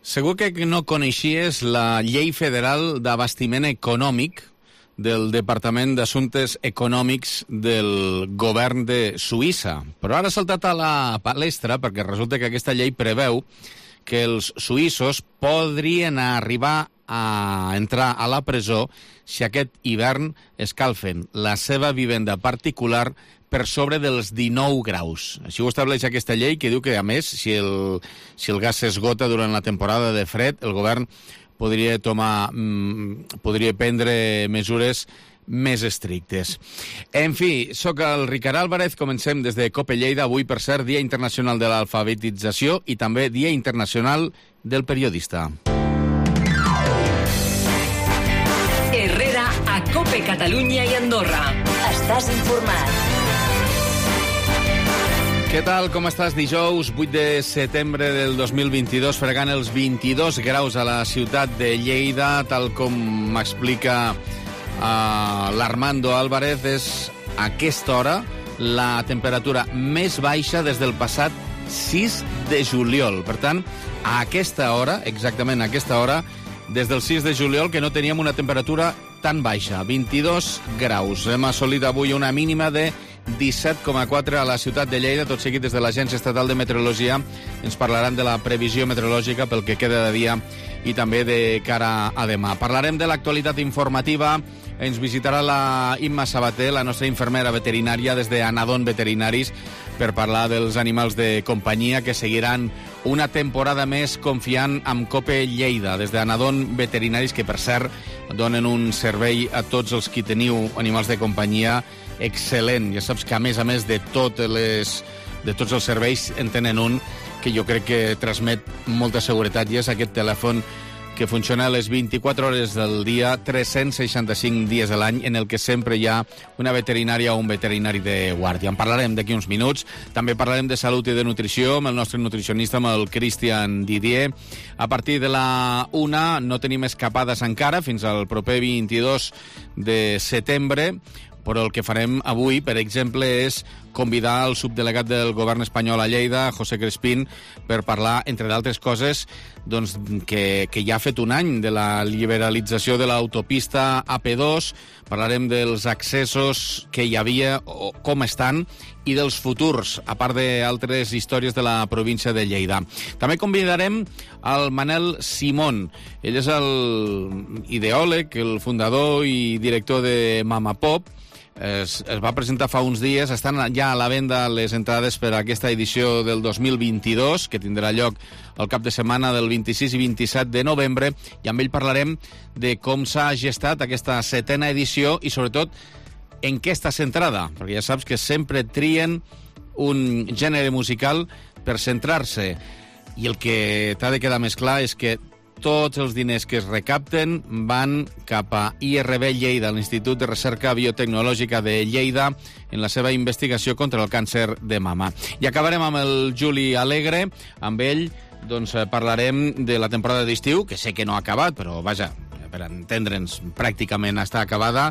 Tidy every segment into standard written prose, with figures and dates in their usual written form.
Segur que no coneixies la Llei Federal d'Abastiment Econòmic del Departament d'Assumptes Econòmics del govern de Suïssa. Però ara ha saltat a la palestra perquè resulta que aquesta llei preveu que els suïssos podrien arribar a entrar a la presó si aquest hivern escalfen la seva vivenda particular per sobre dels 19 graus. Així ho estableix aquesta llei, que diu que, a més, si el gas s'esgota durant la temporada de fred, el govern podria prendre mesures més estrictes. En fi, sóc el Ricard Álvarez, comencem des de COPE Lleida, avui, per cert, Dia Internacional de l'Alfabetització i també Dia Internacional del Periodista. Herrera a COPE Catalunya i Andorra. Estàs informat. Què tal, com estàs? Dijous 8 de setembre del 2022, fregant els 22 graus a la ciutat de Lleida, tal com m'explica l'Armando Álvarez, és a aquesta hora la temperatura més baixa des del passat 6 de juliol. Per tant, a aquesta hora, exactament a aquesta hora, des del 6 de juliol, que no teníem una temperatura tan baixa, 22 graus. Hem assolit avui una mínima de 17,4 a la ciutat de Lleida. Tot seguit, des de l'Agència Estatal de Meteorologia, ens parlaran de la previsió meteorològica pel que queda de dia i també de cara a demà. Parlarem de l'actualitat informativa. Ens visitarà la Imma Sabater, la nostra infermera veterinària, des d'Anadon Veterinaris, per parlar dels animals de companyia que seguiran una temporada més confiant amb COPE Lleida, des d'Anadon Veterinaris, que, per cert, donen un servei a tots els qui teniu animals de companyia excel·lent. Ja saps que, a més de tots els serveis, en tenen un que jo crec que transmet molta seguretat, i és aquest telèfon que funciona a les 24 hores del dia, 365 dies de l'any, en el que sempre hi ha una veterinària o un veterinari de guàrdia. En parlarem d'aquí uns minuts. També parlarem de salut i de nutrició amb el nostre nutricionista, amb el Cristian Didier. A partir de la 1 no tenim escapades encara, fins al proper 22 de setembre, però el que farem avui, per exemple, és convidar el subdelegat del govern espanyol a Lleida, José Crespín, per parlar, entre d'altres coses, doncs, que ja ha fet un any de la liberalització de l'autopista AP2. Parlarem dels accessos que hi havia, o com estan, i dels futurs, a part d'altres històries de la província de Lleida. També convidarem el Manel Simón. Ell és l'ideòleg, el fundador i director de Mama Pop. Es va presentar fa uns dies, estan ja a la venda les entrades per a aquesta edició del 2022, que tindrà lloc el cap de setmana del 26 i 27 de novembre, i amb ell parlarem de com s'ha gestat aquesta 7a edició i, sobretot, en què està centrada, perquè ja saps que sempre trien un gènere musical per centrar-se, i el que t'ha de quedar més clar és que tots els diners que es recapten van cap a IRB Lleida, l'Institut de Recerca Biotecnològica de Lleida, en la seva investigació contra el càncer de mama. I acabarem amb el Juli Alegre. Amb ell doncs, parlarem de la temporada d'estiu, que sé que no ha acabat, però vaja, per entendre'ns, pràcticament està acabada,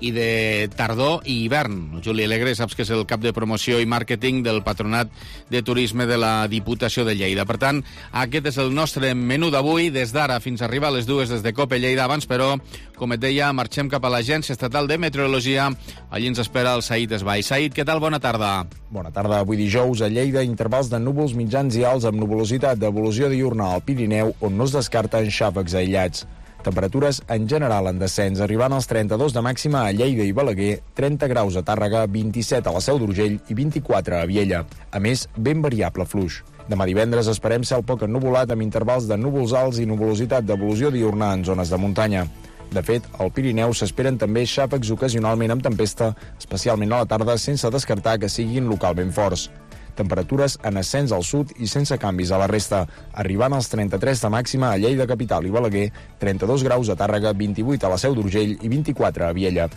i de tardor i hivern. Juli Alegre, saps que és el cap de promoció i màrqueting del Patronat de Turisme de la Diputació de Lleida. Per tant, aquest és el nostre menú d'avui, des d'ara fins a arribar a les 2 des de COPE Lleida. Abans, però, com et deia, marxem cap a l'Agència Estatal de Meteorologia. Allí ens espera el Said Esbai. Said, què tal? Bona tarda. Bona tarda. Avui dijous a Lleida, intervals de núvols mitjans i alts amb nuvolositat d'evolució diurna al Pirineu, on no es descarten xàfecs aïllats. Temperatures en general en descens, arribant als 32 de màxima a Lleida i Balaguer, 30 graus a Tàrrega, 27 a la Seu d'Urgell i 24 a Viella. A més, ben variable fluix. Demà divendres esperem cel poc ennuvolat amb intervals de núvols alts i nuvolositat d'evolució diurna en zones de muntanya. De fet, al Pirineu s'esperen també xàfecs ocasionalment amb tempesta, especialment a la tarda, sense descartar que siguin localment forts. Temperatures en ascens al sud i sense canvis a la resta, arribant als 33 de màxima a Lleida capital i Balaguer, 32 graus a Tàrrega, 28 a la Seu d'Urgell i 24 a Viella.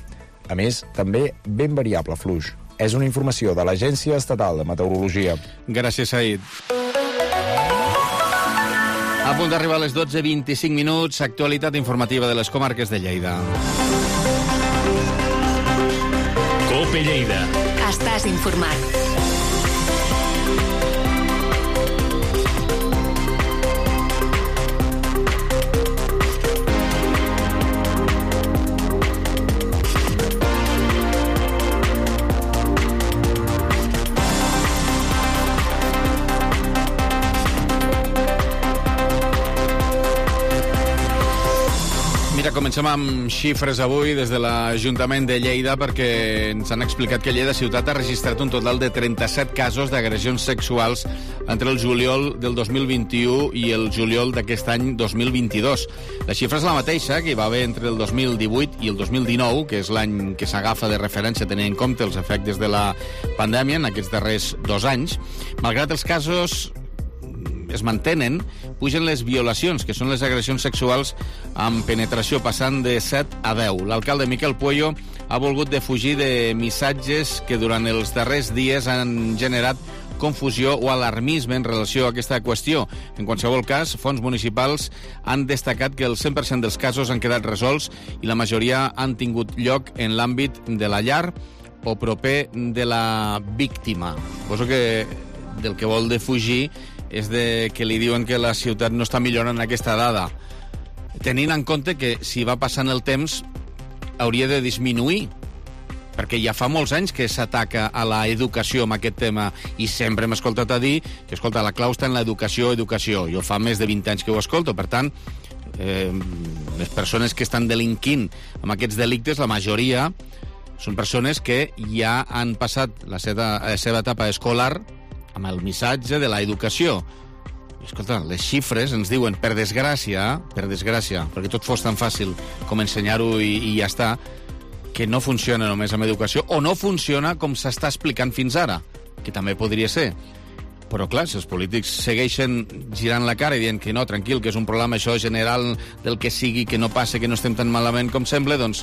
A més, també ben variable fluix. És una informació de l'Agència Estatal de Meteorologia. Gràcies, Said. A punt d'arribar a les 12:25 minuts, actualitat informativa de les comarques de Lleida. COPE Lleida. Estàs informat. Mira, comencem amb xifres avui des de l'Ajuntament de Lleida perquè ens han explicat que Lleida ciutat ha registrat un total de 37 casos d'agressions sexuals entre el juliol del 2021 i el juliol d'aquest any 2022. La xifra és la mateixa que hi va haver entre el 2018 i el 2019, que és l'any que s'agafa de referència tenint en compte els efectes de la pandèmia en aquests darrers 2 anys. Malgrat els casos es mantenen, pugen les violacions, que són les agressions sexuals amb penetració, passant de 7 a 10. L'alcalde Miquel Puello ha volgut defugir de missatges que durant els darrers dies han generat confusió o alarmisme en relació a aquesta qüestió. En qualsevol cas, fonts municipals han destacat que el 100% dels casos han quedat resolts i la majoria han tingut lloc en l'àmbit de la llar o proper de la víctima. Suposo que del que vol defugir és de que li diuen que la ciutat no està millorant aquesta dada. Tenint en compte que si va passant el temps hauria de disminuir, perquè ja fa molts anys que s'ataca a l'educació amb aquest tema i sempre hem escoltat a dir que, escolta, la clau està en l'educació. Jo fa més de 20 anys que ho escolto, per tant, les persones que estan delinquint amb aquests delictes, la majoria són persones que ja han passat la seva etapa escolar amb el missatge de l'educació. Escolta, les xifres ens diuen, per desgràcia, perquè tot fos tan fàcil com ensenyar-ho i ja està, que no funciona només amb educació, o no funciona com s'està explicant fins ara, que també podria ser. Però, clar, si els polítics segueixen girant la cara i dient que no, tranquil, que és un problema això general del que sigui, que no passa, que no estem tan malament com sembla, doncs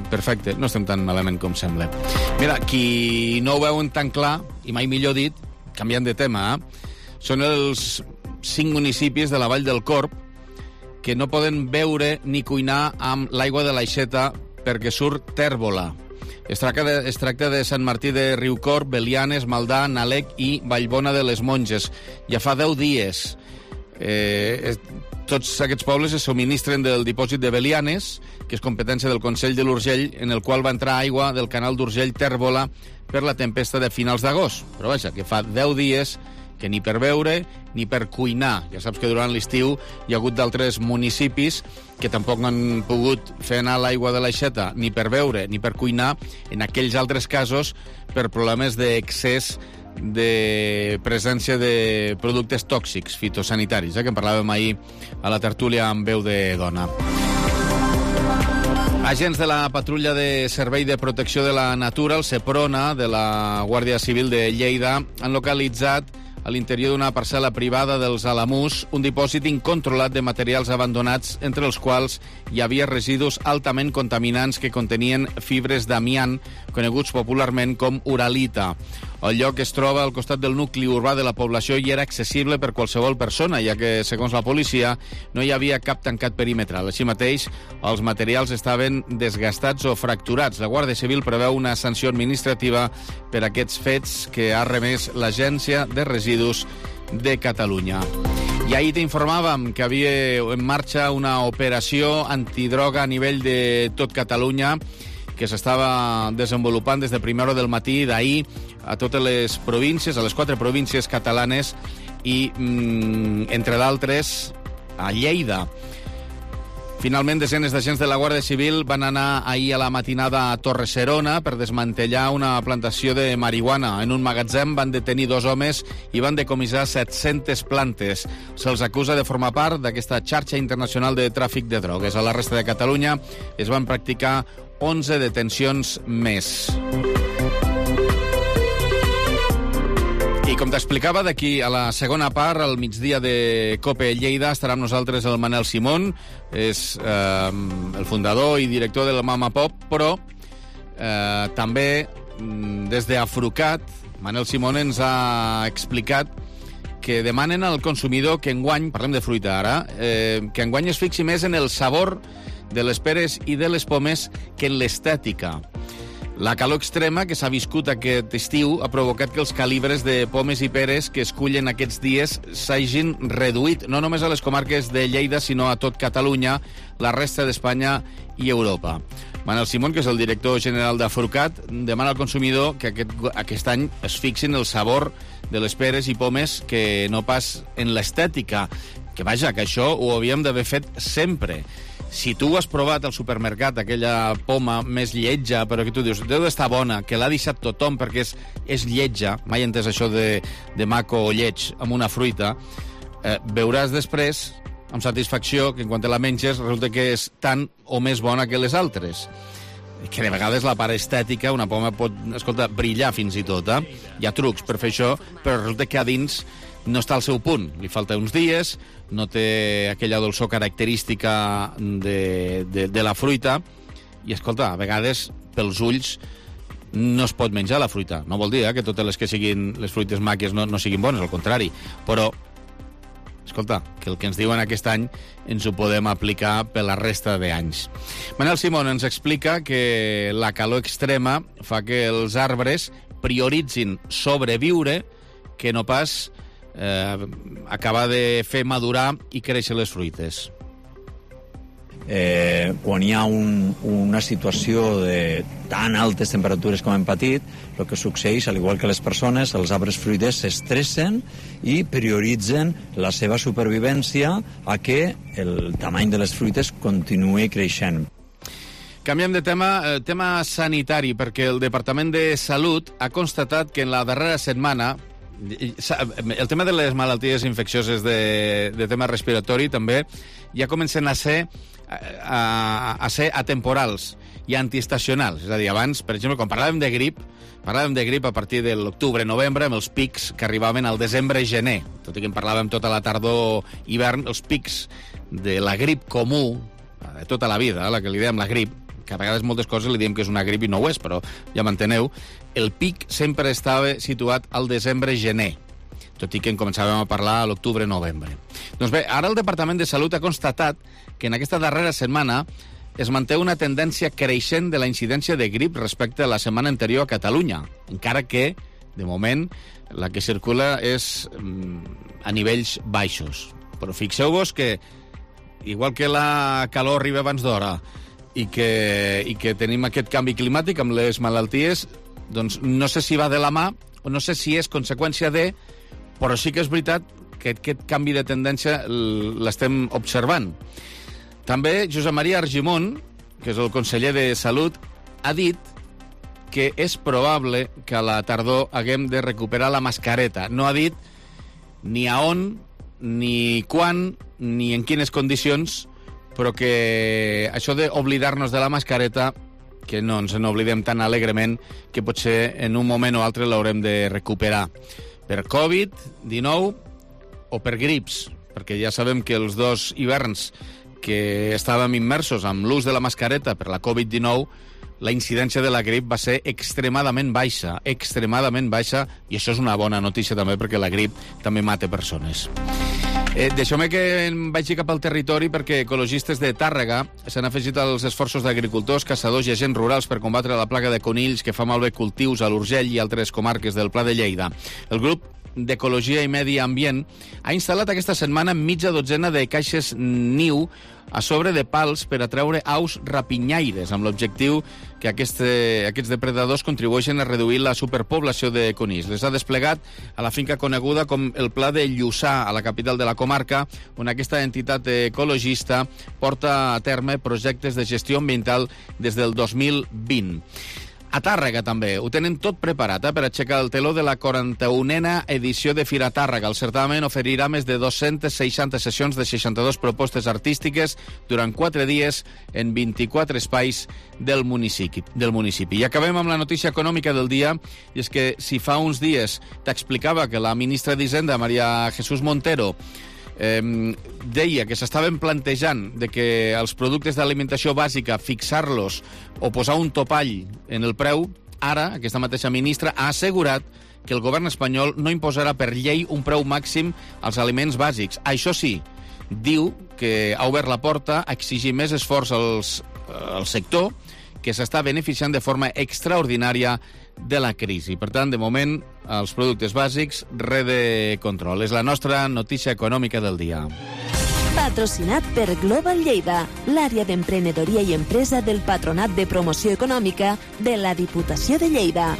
perfecte, no estem tan malament com sembla. Mira, qui no ho veuen tan clar, i mai millor dit, canviant de tema, són els 5 municipis de la Vall del Corb que no poden beure ni cuinar amb l'aigua de l'Aixeta perquè surt tèrbola. Es tracta de Sant Martí de Riucorb, Belianes, Maldà, Nalec i Vallbona de les Monges. Ja fa 10 dies. Tots aquests pobles es subministren del dipòsit de Belianes, que és competència del Consell de l'Urgell, en el qual va entrar aigua del canal d'Urgell Tèrbola per la tempesta de finals d'agost. Però vaja, que fa 10 dies que ni per beure ni per cuinar. Ja saps que durant l'estiu hi ha hagut d'altres municipis que tampoc han pogut fer anar l'aigua de l'Aixeta ni per beure ni per cuinar, en aquells altres casos per problemes d'excés de presència de productes tòxics fitosanitaris, que en parlàvem ahir a la tertúlia amb veu de dona. Agents de la Patrulla de Servei de Protecció de la Natura, el SEPRONA, de la Guàrdia Civil de Lleida, han localitzat a l'interior d'una parcel·la privada dels Alamús un dipòsit incontrolat de materials abandonats, entre els quals hi havia residus altament contaminants que contenien fibres d'amiant, coneguts popularment com uralita. El lloc es troba al costat del nucli urbà de la població i era accessible per qualsevol persona, ja que, segons la policia, no hi havia cap tancat perimetral. Així mateix, els materials estaven desgastats o fracturats. La Guàrdia Civil preveu una sanció administrativa per aquests fets que ha remès l'Agència de Residus de Catalunya. I ahir t'informàvem que havia en marxa una operació antidroga a nivell de tot Catalunya que s'estava desenvolupant des de primera hora del matí d'ahir a totes les províncies, a les 4 províncies catalanes i, entre d'altres, a Lleida. Finalment, desenes d'agents de la Guàrdia Civil van anar ahir a la matinada a Torre-serona per desmantellar una plantació de marihuana. En un magatzem van detenir 2 homes i van decomissar 700 plantes. Se'ls acusa de formar part d'aquesta xarxa internacional de tràfic de drogues. A la resta de Catalunya es van practicar 11 detencions més. I com t'explicava, d'aquí a la segona part, al migdia de COPE Lleida, estarà amb nosaltres el Manel Simón, és el fundador i director de la Mama Pop, però també des d'Afrucat, Manel Simón ens ha explicat que demanen al consumidor que enguany, parlem de fruita ara, que enguany es fixi més en el sabor de les peres i de les pomes que en l'estètica. La calor extrema que s'ha viscut aquest estiu ha provocat que els calibres de pomes i peres que es cullen aquests dies s'hagin reduït, no només a les comarques de Lleida, sinó a tot Catalunya, la resta d'Espanya i Europa. Manel Simón, que és el director general d'Afrucat, demana al consumidor que aquest any es fixin el sabor de les peres i pomes que no pas en l'estètica. Que vaja, que això ho havíem d'haver fet sempre. Si tu has provat al supermercat aquella poma més lletja, però que tu dius, deu d'estar bona, que l'ha deixat tothom perquè és lletja, mai he entès això de maco o lleig amb una fruita, veuràs després, amb satisfacció, que quan te la menges resulta que és tan o més bona que les altres. Que de vegades la part estètica, una poma pot, escolta, brillar fins i tot, Hi ha trucs per fer això, però resulta que a dins no està al seu punt. Li falta uns dies, no té aquella dolçor característica de la fruita, i, escolta, a vegades, pels ulls, no es pot menjar la fruita. No vol dir que totes les que siguin les fruites màquies no siguin bones, al contrari. Però, escolta, que el que ens diuen aquest any ens ho podem aplicar per la resta d'anys. Manel Simón ens explica que la calor extrema fa que els arbres prioritzin sobreviure que no pas acabar de fer madurar i créixer les fruites. Quan hi ha una situació de tan altes temperatures com hem patit, el que succeeix, al igual que les persones, els arbres fruiters s'estressen i prioritzen la seva supervivència a que el tamany de les fruites continuï creixent. Canviem de tema sanitari, perquè el Departament de Salut ha constatat que en la darrera setmana el tema de les malalties infeccioses de tema respiratori també ja comencen a ser atemporals i antiestacionals. És a dir, abans, per exemple, quan parlàvem de grip a partir de l'octubre-novembre, amb els pics que arribaven al desembre-gener. Tot i que en parlàvem tota la tardor-hivern, els pics de la grip comú, de tota la vida, la que li dèiem la grip, que a vegades moltes coses li diem que és una grip i no ho és, però ja m'enteneu, el pic sempre estava situat al desembre-gener, tot i que en començàvem a parlar a l'octubre-novembre. Doncs bé, ara el Departament de Salut ha constatat que en aquesta darrera setmana es manté una tendència creixent de la incidència de grip respecte a la setmana anterior a Catalunya, encara que, de moment, la que circula és a nivells baixos. Però fixeu-vos que, igual que la calor arriba abans d'hora i que tenim aquest canvi climàtic amb les malalties, doncs no sé si va de la mà o no sé si és conseqüència de, però sí que és veritat que aquest canvi de tendència l'estem observant. També Josep Maria Argimon, que és el conseller de Salut, ha dit que és probable que a la tardor haguem de recuperar la mascareta. No ha dit ni a on, ni quan, ni en quines condicions, però que això d'oblidar-nos de la mascareta, que no ens n'oblidem tan alegrement, que potser en un moment o altre l'haurem de recuperar. Per Covid-19 o per grips, perquè ja sabem que els dos hiverns que estàvem immersos amb l'ús de la mascareta per la Covid-19, la incidència de la grip va ser extremadament baixa, i això és una bona notícia també, perquè la grip també mata persones. Deixeu-me que em vagi cap al territori, perquè ecologistes de Tàrrega s'han afegit als esforços d'agricultors, caçadors i agents rurals per combatre la plaga de conills que fa malbé cultius a l'Urgell i altres comarques del Pla de Lleida. El grup d'Ecologia i Medi Ambient ha instal·lat aquesta setmana mitja dotzena de caixes niu a sobre de pals per atreure aus rapinyaires, amb l'objectiu que aquests depredadors contribueixen a reduir la superpoblació de conills. Les ha desplegat a la finca coneguda com el Pla de Lluçà, a la capital de la comarca, on aquesta entitat ecologista porta a terme projectes de gestió ambiental des del 2020. A Tàrrega també ho tenen tot preparat per aixecar el teló de la 41a edició de Fira Tàrrega. El certamen oferirà més de 260 sessions de 62 propostes artístiques durant 4 dies en 24 espais del municipi. I acabem amb la notícia econòmica del dia, i és que si fa uns dies t'explicava que la ministra d'Hisenda, María Jesús Montero, deia que s'estaven plantejant de que els productes d'alimentació bàsica fixar-los o posar un topall en el preu, ara aquesta mateixa ministra ha assegurat que el govern espanyol no imposarà per llei un preu màxim als aliments bàsics. Això sí, diu que ha obert la porta a exigir més esforç al sector, que s'està beneficiant de forma extraordinària de la crisi. Per tant, de moment, els productes bàsics, res de control. És la nostra notícia econòmica del dia. Patrocinat per Global Lleida, l'àrea d'emprenedoria i empresa del Patronat de Promoció Econòmica de la Diputació de Lleida.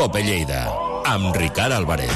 Cope Lleida, amb Ricard Álvarez.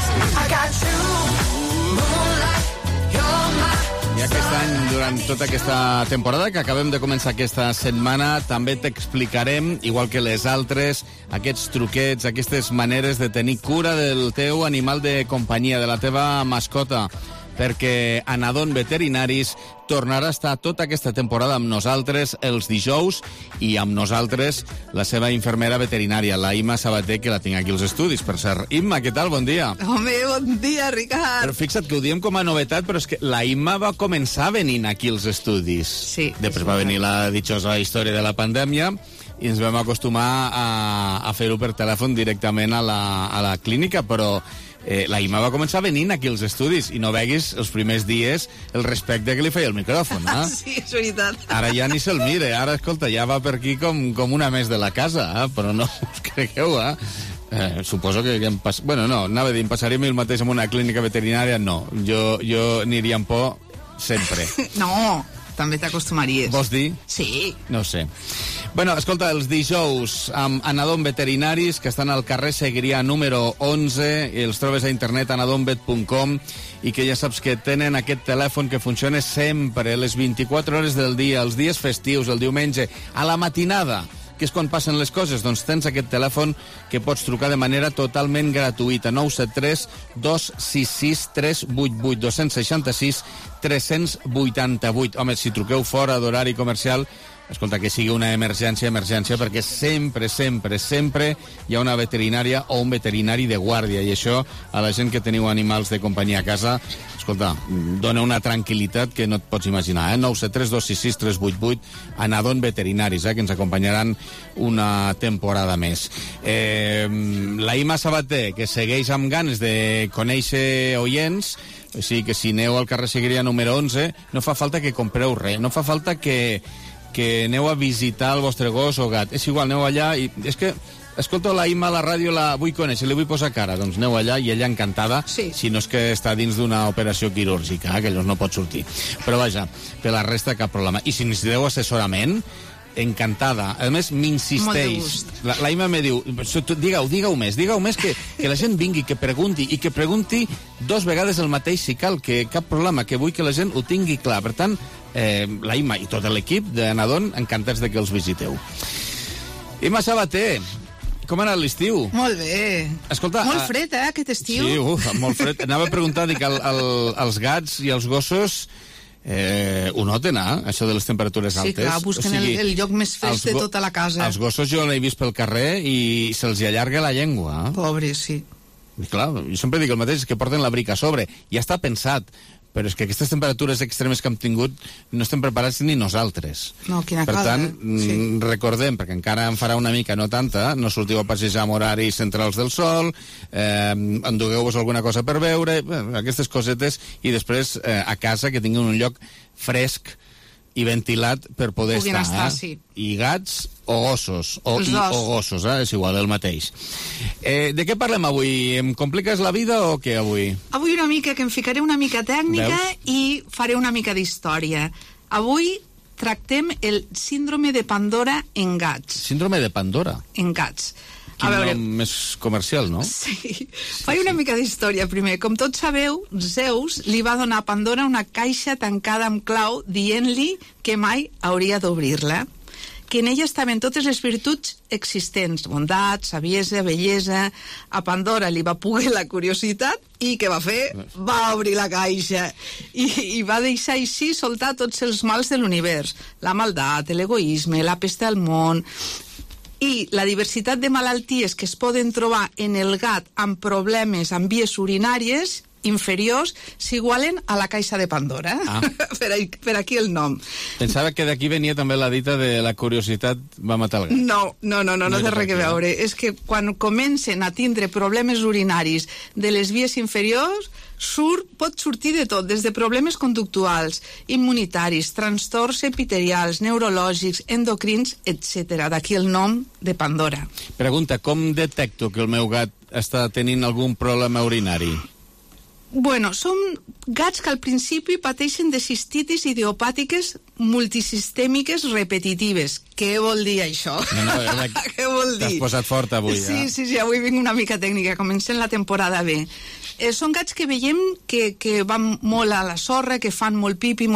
I aquest any, durant tota aquesta temporada que acabem de començar aquesta setmana, també t'explicarem, igual que les altres, aquests truquets, aquestes maneres de tenir cura del teu animal de companyia, de la teva mascota, perquè Anadon Veterinaris tornarà a estar tota aquesta temporada amb nosaltres els dijous i amb nosaltres la seva infermera veterinària, la Imma Sabater, que la tinc aquí als estudis, per cert. Imma, què tal? Bon dia. Home, bon dia, Ricard. Però fixa't que ho diem com a novetat, però és que la Imma va començar venint aquí als estudis. Sí. Després va venir la ditxosa història de la pandèmia i ens vam acostumar a fer-ho per telèfon directament a la clínica, però la Imma va començar venint aquí als estudis i no veguis els primers dies el respecte que li feia el micròfon, eh? Sí, és veritat. Ara ja ni se'l mire, ara, escolta, ja va per aquí com una més de la casa, però no us cregueu, suposo que bueno, no, anava a dir, em passaria el mateix en una clínica veterinària, no, jo aniria amb por sempre. No, també t'acostumaries. Vols dir? Sí. No ho sé. Bueno, escolta, els dijous amb Anadon Veterinaris, que estan al carrer Segrià número 11, i els trobes a internet anadonvet.com, i que ja saps que tenen aquest telèfon que funciona sempre, les 24 hores del dia, els dies festius, el diumenge, a la matinada, que és quan passen les coses, doncs tens aquest telèfon que pots trucar de manera totalment gratuïta, 973 266 388 266 388. Home, si truqueu fora d'horari comercial, escolta, que sigui una emergència, perquè sempre hi ha una veterinària o un veterinari de guàrdia, i això a la gent que teniu animals de companyia a casa, escolta, dona una tranquil·litat que no et pots imaginar, 973 266 388, Anadon Veterinaris, que ens acompanyaran una temporada més. La Imma Sabater, que segueix amb ganes de conèixer oients, o sigui que si aneu al carrer Segrià número 11, no fa falta que compreu res, no fa falta que aneu a visitar el vostre gos o gat. És igual, aneu allà i... És que, escolta, la Imma a la ràdio la vull conèixer, li vull posar cara. Doncs aneu allà i ella encantada, sí. Si no és que està dins d'una operació quirúrgica, que llavors no pot sortir. Però vaja, per la resta cap problema. I si necessiteu assessorament, encantada. A més, m'insisteix. La Imma me diu, digue-ho més, que la gent vingui, que pregunti, i que pregunti 2 vegades el mateix si cal, que cap problema, que vull que la gent ho tingui clar. Per tant, la Imma i tot l'equip d'Anadon, encantats de que els visiteu. Imma Sabater, com ha anat l'estiu? Molt bé. Escolta, molt fred, aquest estiu. Sí, molt fred. Anava a preguntar, dic, els gats i els gossos ho noten, això de les temperatures altes? Sí, clar, busquen el lloc més fresc de tota la casa. Els gossos jo l'he vist pel carrer i se'ls allarga la llengua. Pobres, sí. I clar, jo sempre dic el mateix, que porten l'abric a sobre. Ja està pensat, però és que aquestes temperatures extremes que hem tingut no estem preparats ni nosaltres. No, quina per cosa. tant, sí. Recordem, perquè encara en farà una mica, no tanta, no sortiu a passejar amb horaris centrals del sol, endugueu-vos alguna cosa per veure, aquestes cosetes, i després a casa que tinguin un lloc fresc i ventilat per poder estar. Sí. I gats o gossos, o gossos, és igual, el mateix. De què parlem avui? Em compliques la vida o què avui? Avui una mica, que em ficaré una mica tècnica. Veus? I faré una mica d'història. Avui tractem el síndrome de Pandora en gats. Síndrome de Pandora? En gats. Quin nom més comercial, no? Sí. Faig una mica d'història primer. Com tots sabeu, Zeus li va donar a Pandora una caixa tancada amb clau dient-li que mai hauria d'obrir-la, que en ella estaven totes les virtuts existents, bondat, saviesa, bellesa. A Pandora li va poder la curiositat i què va fer? Va obrir la caixa i va deixar així soltar tots els mals de l'univers. La maldat, l'egoisme, la pesta al món, i la diversitat de malalties que es poden trobar en el gat amb problemes amb vies urinàries inferiors s'igualen a la caixa de Pandora. Per aquí el nom. Pensava que d'aquí venia també la dita de la curiositat va matar el gat. No té res a veure. És que quan comencen a tindre problemes urinaris de les vies inferiors, pot sortir de tot, des de problemes conductuals, immunitaris, trastorns epitelials, neurològics, endocrins, etc. D'aquí el nom de Pandora. Pregunta, com detecto que el meu gat està tenint algun problema urinari? Bueno, són gats que al principi pateixen de cistitis idiopàtiques multisistèmiques repetitives. Què vol dir això? Què vol dir? T'has posat fort avui, Sí, avui vinc una mica tècnica, comencem la temporada bé. Són gats que veiem que van molt a la sorra, que fan molt pipi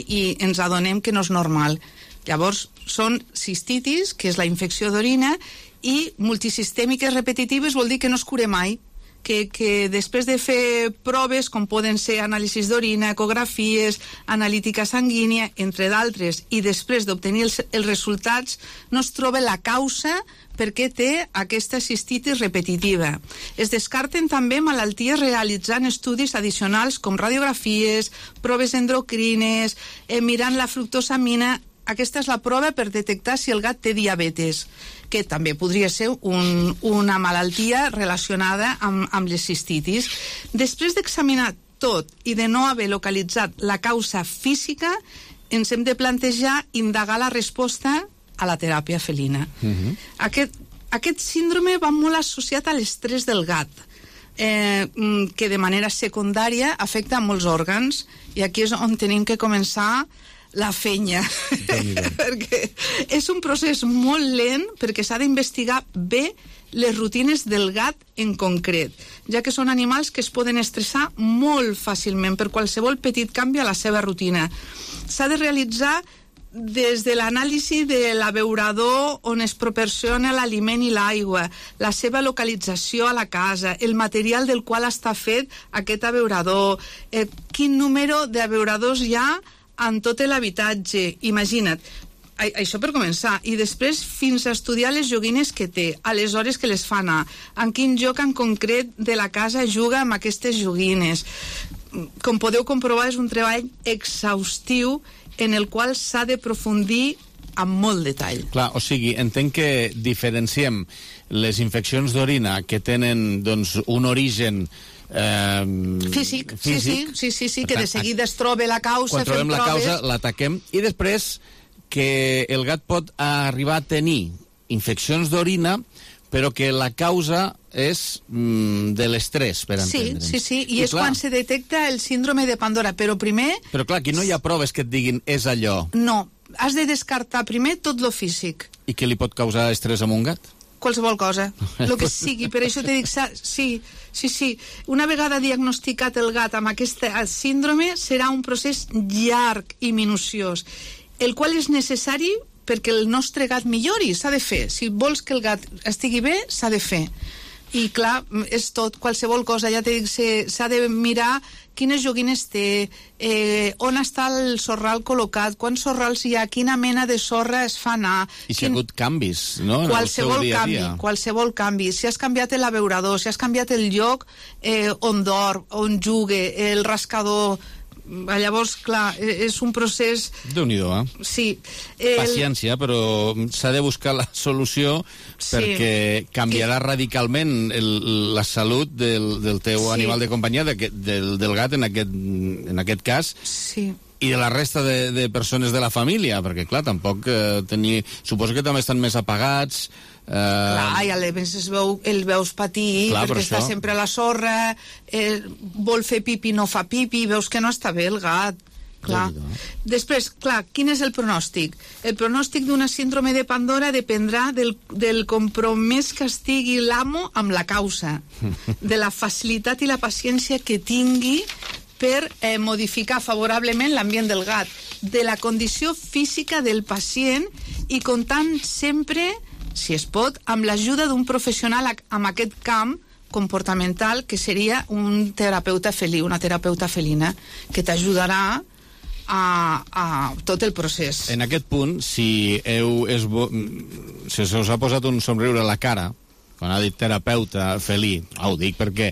i ens adonem que no és normal. Llavors, són cistitis, que és la infecció d'orina, i multisistèmiques repetitives vol dir que no es cura mai, que després de fer proves, com poden ser anàlisis d'orina, ecografies, analítica sanguínia, entre d'altres, i després d'obtenir els resultats, no es troba la causa per què té aquesta cistitis repetitiva. Es descarten també malalties realitzant estudis addicionals com radiografies, proves endocrines, mirant la fructosamina. Aquesta és la prova per detectar si el gat té diabetes, que també podria ser una malaltia relacionada amb les cistitis. Després d'examinar tot i de no haver localitzat la causa física, ens hem de plantejar indagar la resposta a la teràpia felina. Aquest síndrome va molt associat a l'estrès del gat, que de manera secundària afecta a molts òrgans, i aquí és on tenim que començar la fenya, perquè és un procés molt lent, perquè s'ha d'investigar bé les rutines del gat en concret, ja que són animals que es poden estressar molt fàcilment per qualsevol petit canvi a la seva rutina. S'ha de realitzar des de l'anàlisi de l'abeurador on es proporciona l'aliment i l'aigua, la seva localització a la casa, el material del qual està fet aquest abeurador, quin número d'abeuradors hi ha en tot l'habitatge, imagina't. Això per començar, i després fins a estudiar les joguines que té, a les hores que les fa anar, en quin lloc en concret de la casa juga amb aquestes joguines. Com podeu comprovar, és un treball exhaustiu en el qual s'ha de profundir amb molt detall. Clar, o sigui, entenc que diferenciem les infeccions d'orina que tenen, doncs, un origen físic. Sí, que de seguida es troba la causa, quan trobem la causa, l'ataquem, i després que el gat pot arribar a tenir infeccions d'orina, però que la causa és de l'estrès, per entendre'ns. Sí, i és quan se detecta el síndrome de Pandora, però primer... Però clar, aquí no hi ha proves que et diguin és allò. No, has de descartar primer tot lo físic. I què li pot causar estrès a un gat? Qualsevol cosa, el que sigui. Per això t'he dit, sí. Una vegada diagnosticat el gat amb aquest síndrome, serà un procés llarg i minuciós, el qual és necessari perquè el nostre gat millori, s'ha de fer. Si vols que el gat estigui bé, s'ha de fer. I clar, és tot, qualsevol cosa, ja t'he dit, s'ha de mirar quines joguines té, on està el sorral col·locat, quants sorrals hi ha, quina mena de sorra es fa anar... I si ha hagut canvis, no?, en el seu dia a dia. Qualsevol canvi. Si has canviat l'abeurador, si has canviat el lloc on dorm, on jugue, el rascador... Llavors, clar, és un procés... Déu-n'hi-do, Sí. Paciència, però s'ha de buscar la solució perquè canviarà radicalment la salut del teu animal de companyia, del gat en aquest cas, i de la resta de persones de la família, perquè, clar, tampoc suposo que també estan més apagats... Clar, i a més el veus patir, clar, perquè està sempre a la sorra, vol fer pipi, no fa pipi, veus que no està bé el gat. Clar. Després, clar, quin és el pronòstic? El pronòstic d'una síndrome de Pandora dependrà del compromès que estigui l'amo amb la causa, de la facilitat i la paciència que tingui per modificar favorablement l'ambient del gat, de la condició física del pacient, i comptant sempre, si es pot, amb l'ajuda d'un professional en aquest camp comportamental, que seria un terapeuta felí, una terapeuta felina, que t'ajudarà a tot el procés. En aquest punt, si se us ha posat un somriure a la cara, quan ha dit terapeuta felí, ho dic perquè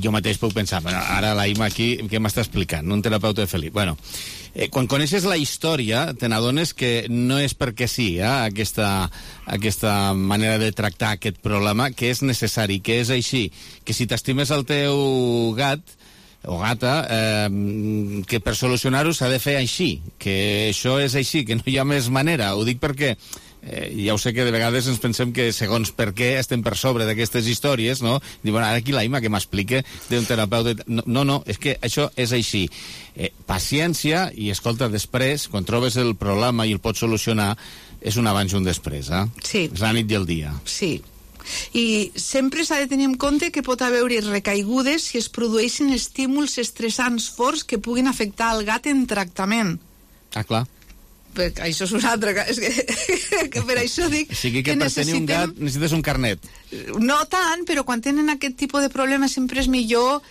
jo mateix puc pensar, bueno, ara la Ima aquí, què m'està explicant? Un terapeuta felí. Bueno, quan coneixes la història, te n'adones que no és perquè sí, aquesta manera de tractar aquest problema, que és necessari, que és així, que si t'estimes el teu gat o gata, que per solucionar-ho s'ha de fer així, que això és així, que no hi ha més manera. Ho dic perquè ja ho sé que de vegades ens pensem que segons per què estem per sobre d'aquestes històries, no? Diu, bueno, ara aquí la Ima que m'explica d'un terapeuta... No, és que això és així. Paciència, i escolta, després, quan trobes el problema i el pots solucionar, és un abans i un després, Sí. És la nit i el dia. Sí. I sempre s'ha de tenir en compte que pot haver-hi recaigudes si es produeixen estímuls estressants forts que puguin afectar el gat en tractament. Ah, clar. Perquè això és una altra... És que per això dic... O sigui que per tenir un gat necessites un carnet. No tant, però quan tenen aquest tipus de problemes sempre és millor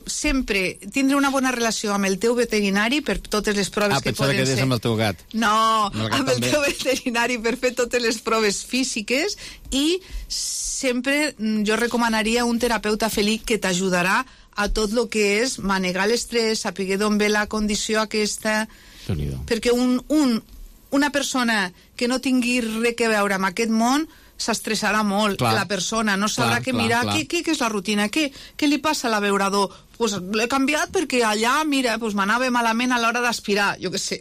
sempre tindre una bona relació amb el teu veterinari per totes les proves que poden ser... pensava que deies amb el teu gat. No, amb el teu veterinari per fer totes les proves físiques, i sempre jo recomanaria un terapeuta felí que t'ajudarà a tot el que és manegar l'estrès, saber d'on ve la condició aquesta... Perquè una persona que no tingui res que veure amb aquest món s'estressarà molt. Clar. La persona no sabrà mirar què és la rutina, què li passa a l'abeurador. Pues l'he canviat perquè allà, mira, pues m'anava malament a l'hora d'aspirar, jo què sé,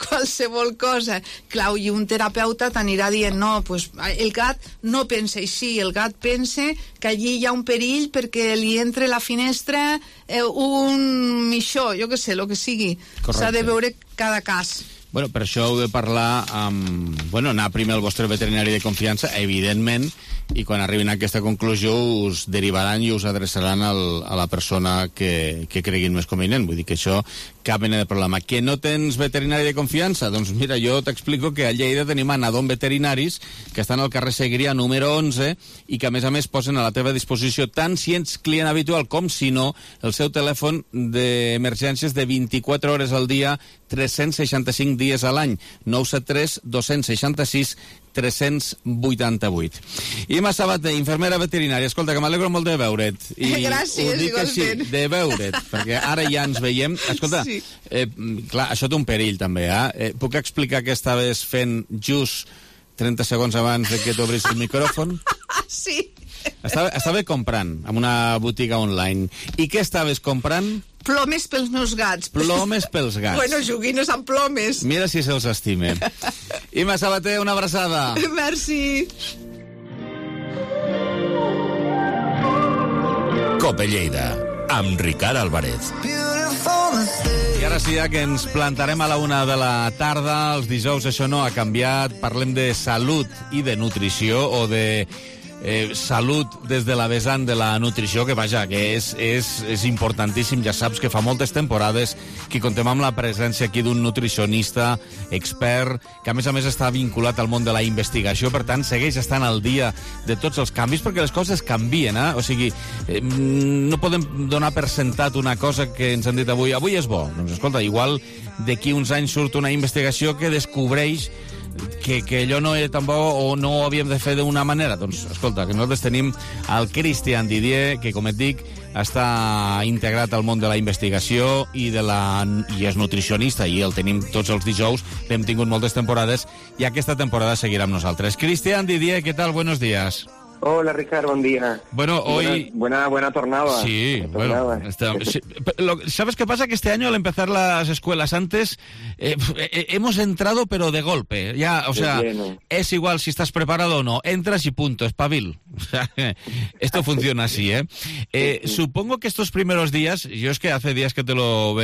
qualsevol cosa. Clar, i un terapeuta t'anirà dient, no, pues el gat no pensa així, el gat pensa que allí hi ha un perill perquè li entre a la finestra un mixó, jo què sé, el que sigui. S'ha de veure cada cas. Bueno, per això heu de parlar amb... Bueno, anar primer al vostre veterinari de confiança, evidentment, i quan arribin a aquesta conclusió us derivaran i us adreçaran a la persona que creguin més convenient. Vull dir que això, cap mena de problema. Que no tens veterinari de confiança? Doncs mira, jo t'explico que a Lleida tenim a Nadon Veterinaris, que estan al carrer Segrià número 11, i que a més posen a la teva disposició, tant si ets client habitual com si no, el seu telèfon d'emergències de 24 hores al dia, 365 dies a l'any, 973 266 388. Ima Sabater, infermera veterinària. Escolta, que m'alegro molt de veure't. Gràcies, ho dic així, de veure't, perquè ara ja ens veiem. Escolta, sí. Clar, això té un perill també, Puc explicar què estaves fent just 30 segons abans de que t'obris el micròfon? Sí. Estava comprant en una botiga online. I què estaves comprant? Plomes pels meus gats. Plomes pels gats. Bueno, joguines amb plomes. Mira si se'ls estime. Ima Sabater, una abraçada. Merci. Cope Lleida, amb Ricard Álvarez. I ara sí, que ens plantarem a la 1 de la tarda. Els dijous això no ha canviat. Parlem de salut i de nutrició, o de salut des de la vessant de la nutrició, que vaja, que és importantíssim. Ja saps que fa moltes temporades que contem amb la presència aquí d'un nutricionista expert, que a més està vinculat al món de la investigació, per tant segueix estant al dia de tots els canvis, perquè les coses canvien, o sigui, no podem donar per sentat una cosa que ens han dit avui és bo. Doncs escolta, igual d'aquí uns anys surt una investigació que descobreix que allò no era tan bo o no ho havíem de fer d'una manera. Doncs, escolta, que nosaltres tenim el Christian Didier, que, com et dic, està integrat al món de la investigació i és nutricionista, i el tenim tots els dijous, l'hem tingut moltes temporades, i aquesta temporada seguirà amb nosaltres. Christian Didier, ¿qué tal? Buenos días. Hola, Ricardo, buen día. Bueno, hoy... Buena tornada. Sí, bueno. Sí. ¿Sabes qué pasa? Que este año, al empezar las escuelas antes, hemos entrado, pero de golpe. Ya, o sea, es igual si estás preparado o no. Entras y punto, espabil. O sea, esto funciona así, Supongo que estos primeros días, yo es que hace días que lo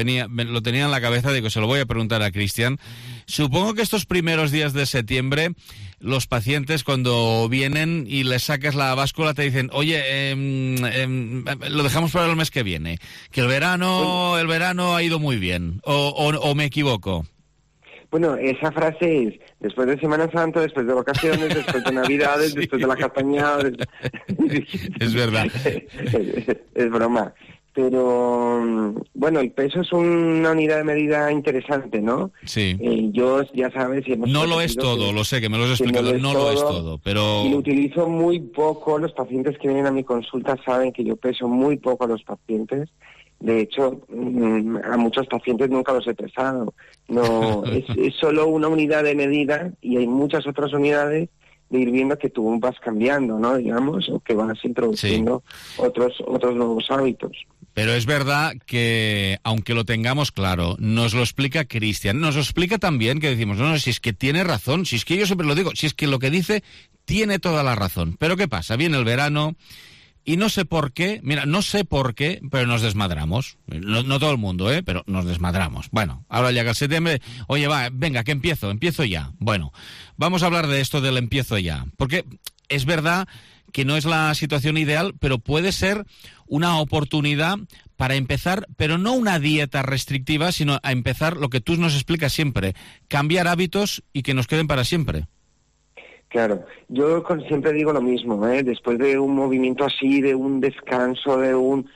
tenía en la cabeza, digo, se lo voy a preguntar a Christian. Supongo que estos primeros días de septiembre, los pacientes cuando vienen y les sacas la báscula te dicen, oye, lo dejamos para el mes que viene, que el verano ha ido muy bien, o me equivoco. Bueno, esa frase es después de Semana Santa, después de vacaciones, después de Navidades, sí. Después de la castañada. Es verdad. Es broma. Pero, bueno, el peso es una unidad de medida interesante, ¿no? Sí. Yo, ya sabes... No lo es todo, lo sé, que me lo has explicado, no lo es todo, pero... Y lo utilizo muy poco. Los pacientes que vienen a mi consulta saben que yo peso muy poco a los pacientes. De hecho, a muchos pacientes nunca los he pesado. No, es solo una unidad de medida, y hay muchas otras unidades de ir viendo que tú vas cambiando, ¿no? Digamos, o que vas introduciendo otros nuevos hábitos. Pero es verdad que, aunque lo tengamos claro, nos lo explica Cristian, nos lo explica también que decimos, no, si es que tiene razón, si es que yo siempre lo digo, si es que lo que dice tiene toda la razón. Pero ¿qué pasa? Viene el verano y no sé por qué, pero nos desmadramos. No todo el mundo, pero nos desmadramos. Bueno, ahora llega el septiembre, oye, venga, que empiezo ya. Bueno, vamos a hablar de esto del empiezo ya, porque es verdad que no es la situación ideal, pero puede ser una oportunidad para empezar, pero no una dieta restrictiva, sino a empezar lo que tú nos explicas siempre, cambiar hábitos y que nos queden para siempre. Claro, yo siempre digo lo mismo, después de un movimiento así, de un descanso, de un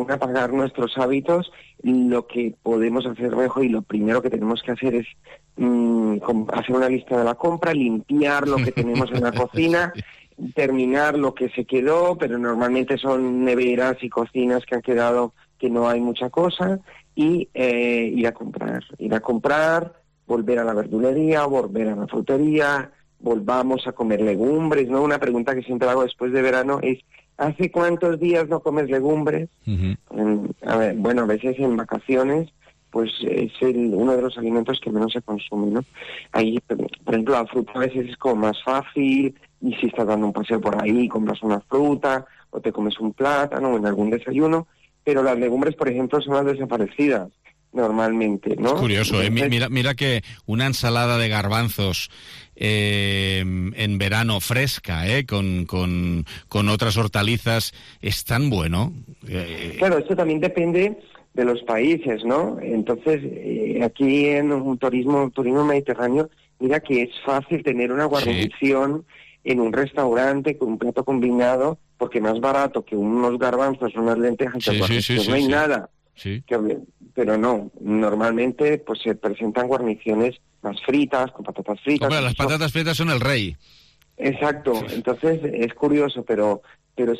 apagar nuestros hábitos, lo que podemos hacer mejor y lo primero que tenemos que hacer es hacer una lista de la compra, limpiar lo que tenemos en la cocina, terminar lo que se quedó, pero normalmente son neveras y cocinas que han quedado que no hay mucha cosa, y ir a comprar, volver a la verdulería, volver a la frutería, volvamos a comer legumbres, ¿no? Una pregunta que siempre hago después de verano es, ¿hace cuántos días no comes legumbres? Uh-huh. A veces en vacaciones, pues es uno de los alimentos que menos se consume, ¿no? Ahí, por ejemplo, la fruta a veces es como más fácil, y si estás dando un paseo por ahí, compras una fruta, o te comes un plátano en algún desayuno, pero las legumbres, por ejemplo, son las desaparecidas normalmente, ¿no? Es curioso, Entonces, mira que una ensalada de garbanzos en verano fresca, con otras hortalizas, es tan bueno. Claro, esto también depende de los países, ¿no? Entonces, aquí en un turismo mediterráneo, mira que es fácil tener una guarnición en un restaurante con un plato combinado, porque más barato que unos garbanzos, unas lentejas, no hay nada. Sí. Pero no, normalmente pues se presentan guarniciones más fritas, con patatas fritas. Hombre, las patatas fritas son el rey. Exacto, entonces es curioso, pero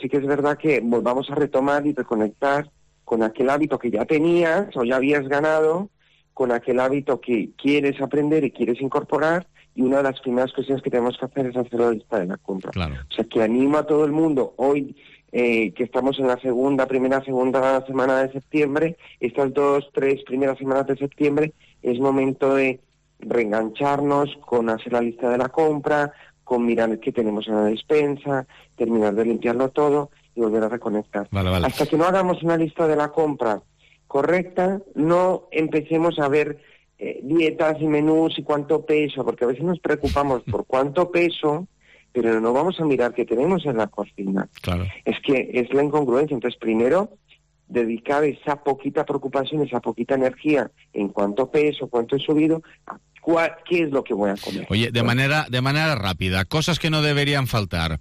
sí que es verdad que volvamos a retomar y reconectar con aquel hábito que ya tenías o ya habías ganado, con aquel hábito que quieres aprender y quieres incorporar, y una de las primeras cuestiones que tenemos que hacer es hacer la lista de la compra. Claro. O sea, que animo a todo el mundo hoy, que estamos en la segunda semana de septiembre, estas 2-3 primeras semanas de septiembre, es momento de reengancharnos con hacer la lista de la compra, con mirar qué tenemos en la despensa, terminar de limpiarlo todo y volver a reconectar. Vale. Hasta que no hagamos una lista de la compra correcta, no empecemos a ver dietas y menús y cuánto peso, porque a veces nos preocupamos por cuánto peso, pero no vamos a mirar qué tenemos en la cocina. Claro. Es que es la incongruencia. Entonces, primero, dedicar esa poquita preocupación, esa poquita energía en cuánto peso, cuánto he subido, qué es lo que voy a comer. Oye, de manera rápida, cosas que no deberían faltar.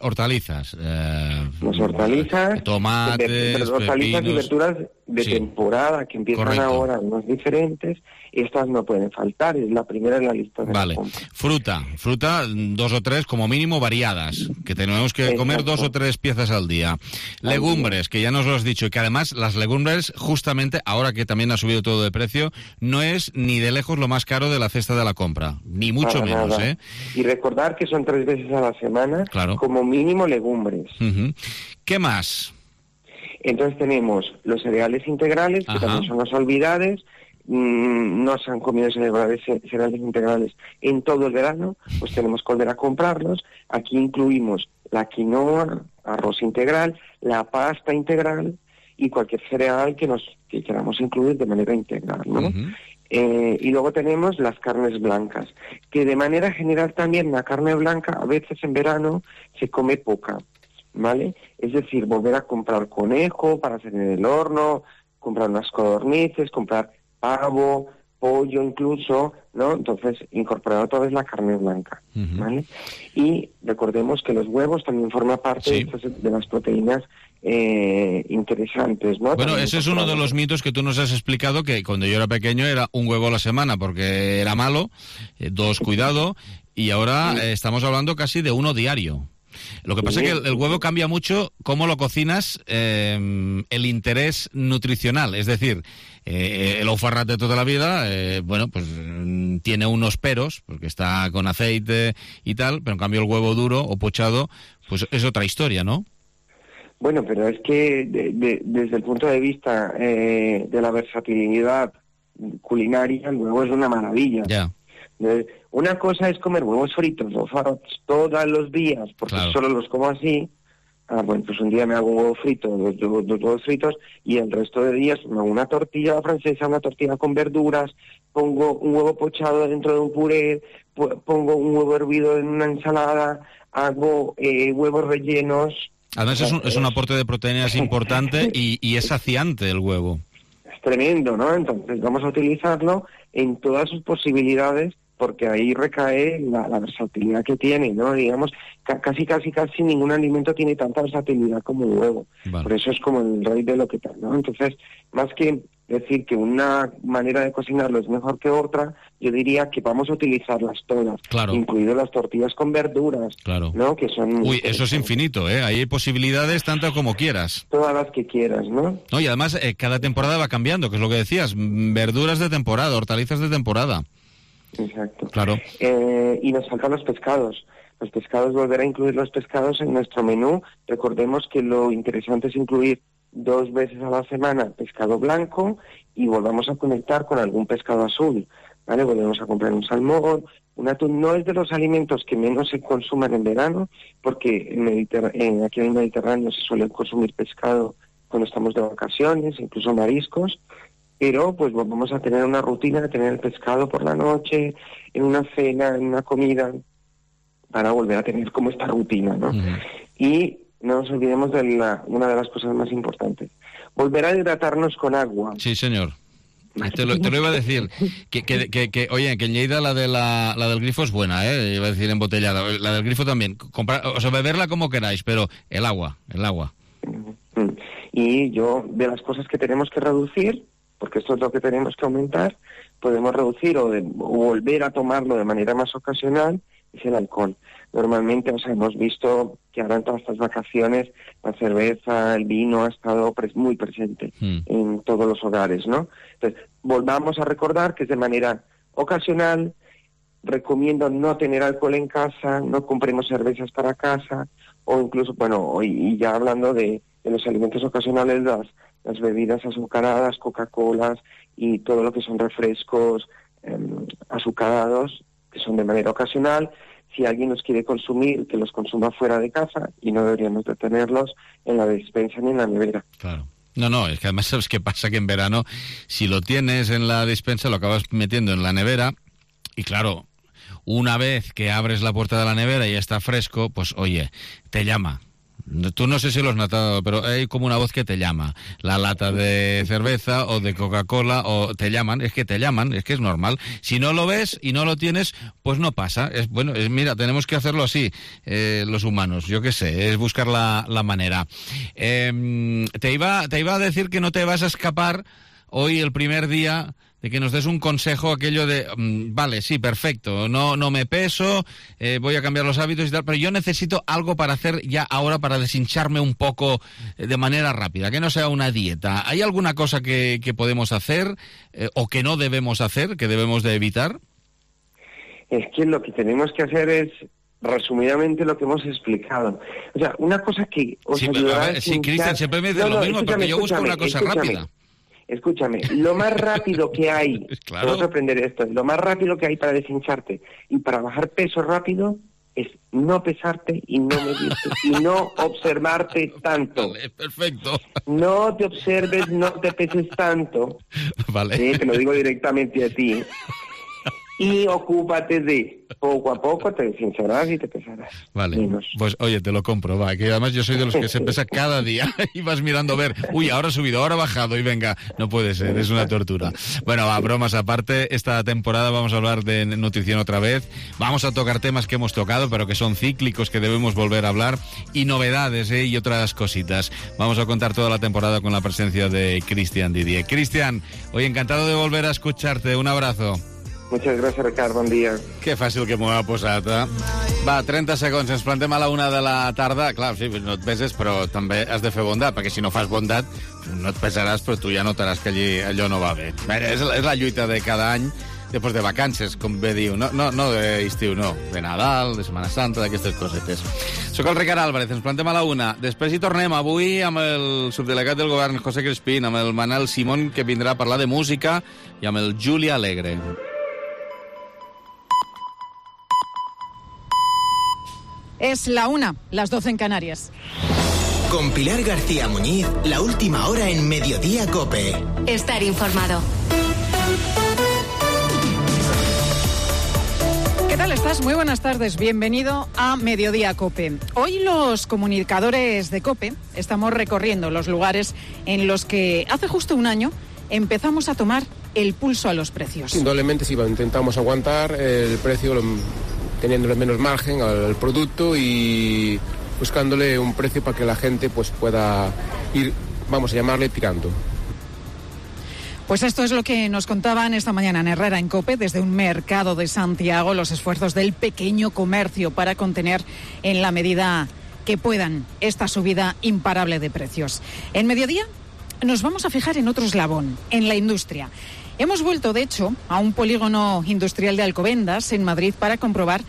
Hortalizas. Las hortalizas, tomates, hortalizas pepinos, y verduras de temporada, que empiezan ahora, unos diferentes, estas no pueden faltar, es la primera en la lista de la compra. Fruta, 2 o 3 como mínimo variadas, que tenemos que comer 2 o 3 piezas al día. Legumbres, que ya nos lo has dicho, y que además las legumbres, justamente, ahora que también ha subido todo de precio, no es ni de lejos lo más caro de la cesta de la compra, ni mucho menos, nada. Y recordar que son 3 veces a la semana, como mínimo legumbres. Uh-huh. ¿Qué más? Entonces tenemos los cereales integrales, que también son las olvidadas. No se han comido cereales integrales en todo el verano, pues tenemos que volver a comprarlos. Aquí incluimos la quinoa, arroz integral, la pasta integral y cualquier cereal que queramos incluir de manera integral, ¿no? Uh-huh. Y luego tenemos las carnes blancas, que de manera general también la carne blanca a veces en verano se come poca, ¿vale? Es decir, volver a comprar conejo para hacer en el horno, comprar unas codornices, comprar pavo, pollo incluso, ¿no? Entonces, incorporar otra vez la carne blanca, ¿vale? Y recordemos que los huevos también forman parte de las proteínas interesantes, ¿no? Bueno, ese es uno de los mitos que tú nos has explicado, que cuando yo era pequeño era un huevo a la semana porque era malo, 2 cuidado, y ahora estamos hablando casi de 1 diario. Lo que pasa es que el huevo cambia mucho cómo lo cocinas, el interés nutricional, es decir, el oufarrat de toda la vida, pues tiene unos peros, porque está con aceite y tal, pero en cambio el huevo duro o pochado, pues es otra historia, ¿no? Bueno, pero es que desde el punto de vista de la versatilidad culinaria, el huevo es una maravilla. Ya. Una cosa es comer huevos fritos o farts todos los días, porque solo los como así. Bueno, pues un día me hago un huevo frito, dos huevos fritos, y el resto de días me hago una tortilla francesa, una tortilla con verduras, pongo un huevo pochado dentro de un puré, pongo un huevo hervido en una ensalada, hago huevos rellenos. Además es un aporte de proteínas importante y es saciante el huevo. Es tremendo, ¿no? Entonces vamos a utilizarlo en todas sus posibilidades, porque ahí recae la versatilidad que tiene, ¿no? Digamos, casi ningún alimento tiene tanta versatilidad como el huevo. Vale. Por eso es como el rey de lo que tal, ¿no? Entonces, más que decir que una manera de cocinarlo es mejor que otra, yo diría que vamos a utilizarlas todas, incluido las tortillas con verduras, ¿no? Que son... Uy, eso es infinito, ¿eh? Ahí hay posibilidades tanto como quieras. Todas las que quieras, ¿no? No, y además cada temporada va cambiando, que es lo que decías, verduras de temporada, hortalizas de temporada. Exacto. Claro. Y nos faltan los pescados. Los pescados, volver a incluir los pescados en nuestro menú. Recordemos que lo interesante es incluir 2 veces a la semana pescado blanco y volvamos a conectar con algún pescado azul, ¿vale? Volvemos a comprar un salmón, un atún. No es de los alimentos que menos se consuman en verano, porque aquí en el Mediterráneo se suele consumir pescado cuando estamos de vacaciones, incluso mariscos. Pero pues vamos a tener una rutina de tener el pescado por la noche, en una cena, en una comida, para volver a tener como esta rutina, ¿no? Y no nos olvidemos de una de las cosas más importantes. Volver a hidratarnos con agua. Sí, señor. Te lo iba a decir. Oye, que en Lleida la del grifo es buena, ¿eh? Iba a decir embotellada. La del grifo también. Beberla como queráis, pero el agua. Y de las cosas que tenemos que reducir, porque esto es lo que tenemos que aumentar, podemos reducir o volver a tomarlo de manera más ocasional, es el alcohol. Normalmente, hemos visto que ahora en todas estas vacaciones la cerveza, el vino ha estado muy presente en todos los hogares, ¿no? Entonces, volvamos a recordar que es de manera ocasional. Recomiendo no tener alcohol en casa, no compremos cervezas para casa, o incluso, y ya hablando de los alimentos ocasionales, las bebidas azucaradas, Coca-Colas y todo lo que son refrescos azucarados, que son de manera ocasional. Si alguien los quiere consumir, que los consuma fuera de casa, y no deberíamos de tenerlos en la despensa ni en la nevera. Claro. No, es que además sabes qué pasa, que en verano, si lo tienes en la despensa, lo acabas metiendo en la nevera, y claro, una vez que abres la puerta de la nevera y ya está fresco, pues oye, te llama. Tú no sé si lo has notado, pero hay como una voz que te llama. La lata de cerveza o de Coca-Cola, o te llaman, es que es normal. Si no lo ves y no lo tienes, pues no pasa. Mira, tenemos que hacerlo así, los humanos, yo qué sé, es buscar la manera. Te iba a decir que no te vas a escapar hoy, el primer día, de que nos des un consejo, aquello de, vale, sí, perfecto, no me peso, voy a cambiar los hábitos y tal, pero yo necesito algo para hacer ya ahora, para deshincharme un poco de manera rápida, que no sea una dieta. ¿Hay alguna cosa que podemos hacer o que no debemos hacer, que debemos de evitar? Es que lo que tenemos que hacer es, resumidamente, lo que hemos explicado. O sea, una cosa que os ayudará a... Sí, Cristian, siempre me dice lo mismo, porque yo busco una cosa rápida. Escúchame, lo más rápido que hay, claro. Vamos a aprender esto, lo más rápido que hay para deshincharte y para bajar peso rápido es no pesarte y no medirte y no observarte tanto. Vale, perfecto. No te observes, no te peses tanto. Vale. Sí, te lo digo directamente a ti. Y ocúpate de, poco a poco te deshincharás y te pesarás. Vale, menos. Pues oye, te lo compro, va, que además yo soy de los que se pesa cada día y vas mirando a ver, uy, ahora ha subido, ahora ha bajado y venga, no puede ser, es una tortura. Bueno, va, bromas aparte, esta temporada vamos a hablar de nutrición otra vez, vamos a tocar temas que hemos tocado, pero que son cíclicos, que debemos volver a hablar, y novedades, y otras cositas. Vamos a contar toda la temporada con la presencia de Cristian Didier. Cristian, hoy encantado de volver a escucharte, un abrazo. Muchas gràcies, Ricard, bon dia. Que fàcil que m'ho ha posat, eh? Va, 30 segons, ens plantem a la 1 de la tarda. Clar, sí, no et peses, però també has de fer bondat, perquè si no fas bondat, no et pesaràs, però tu ja notaràs que allò no va bé. És la lluita de cada any després de vacances, com bé diu. No d'estiu, no. De Nadal, de Setmana Santa, d'aquestes cosetes. Soc el Ricard Álvarez, ens plantem a la 1. Després hi tornem avui amb el subdelegat del govern, José Crespín, amb el Manel Simón, que vindrà a parlar de música, i amb el Juli Alegre. Es la 1, las 12 en Canarias. Con Pilar García Muñiz, la última hora en Mediodía COPE. Estar informado. ¿Qué tal estás? Muy buenas tardes. Bienvenido a Mediodía COPE. Hoy los comunicadores de COPE estamos recorriendo los lugares en los que hace justo un año empezamos a tomar el pulso a los precios. Indudablemente sí, intentamos aguantar el precio teniéndole menos margen al producto y buscándole un precio para que la gente pues pueda ir, vamos a llamarle, tirando. Pues esto es lo que nos contaban esta mañana en Herrera, en COPE, desde un mercado de Santiago, los esfuerzos del pequeño comercio para contener en la medida que puedan esta subida imparable de precios. En Mediodía nos vamos a fijar en otro eslabón, en la industria. Hemos vuelto, de hecho, a un polígono industrial de Alcobendas, en Madrid, para comprobar,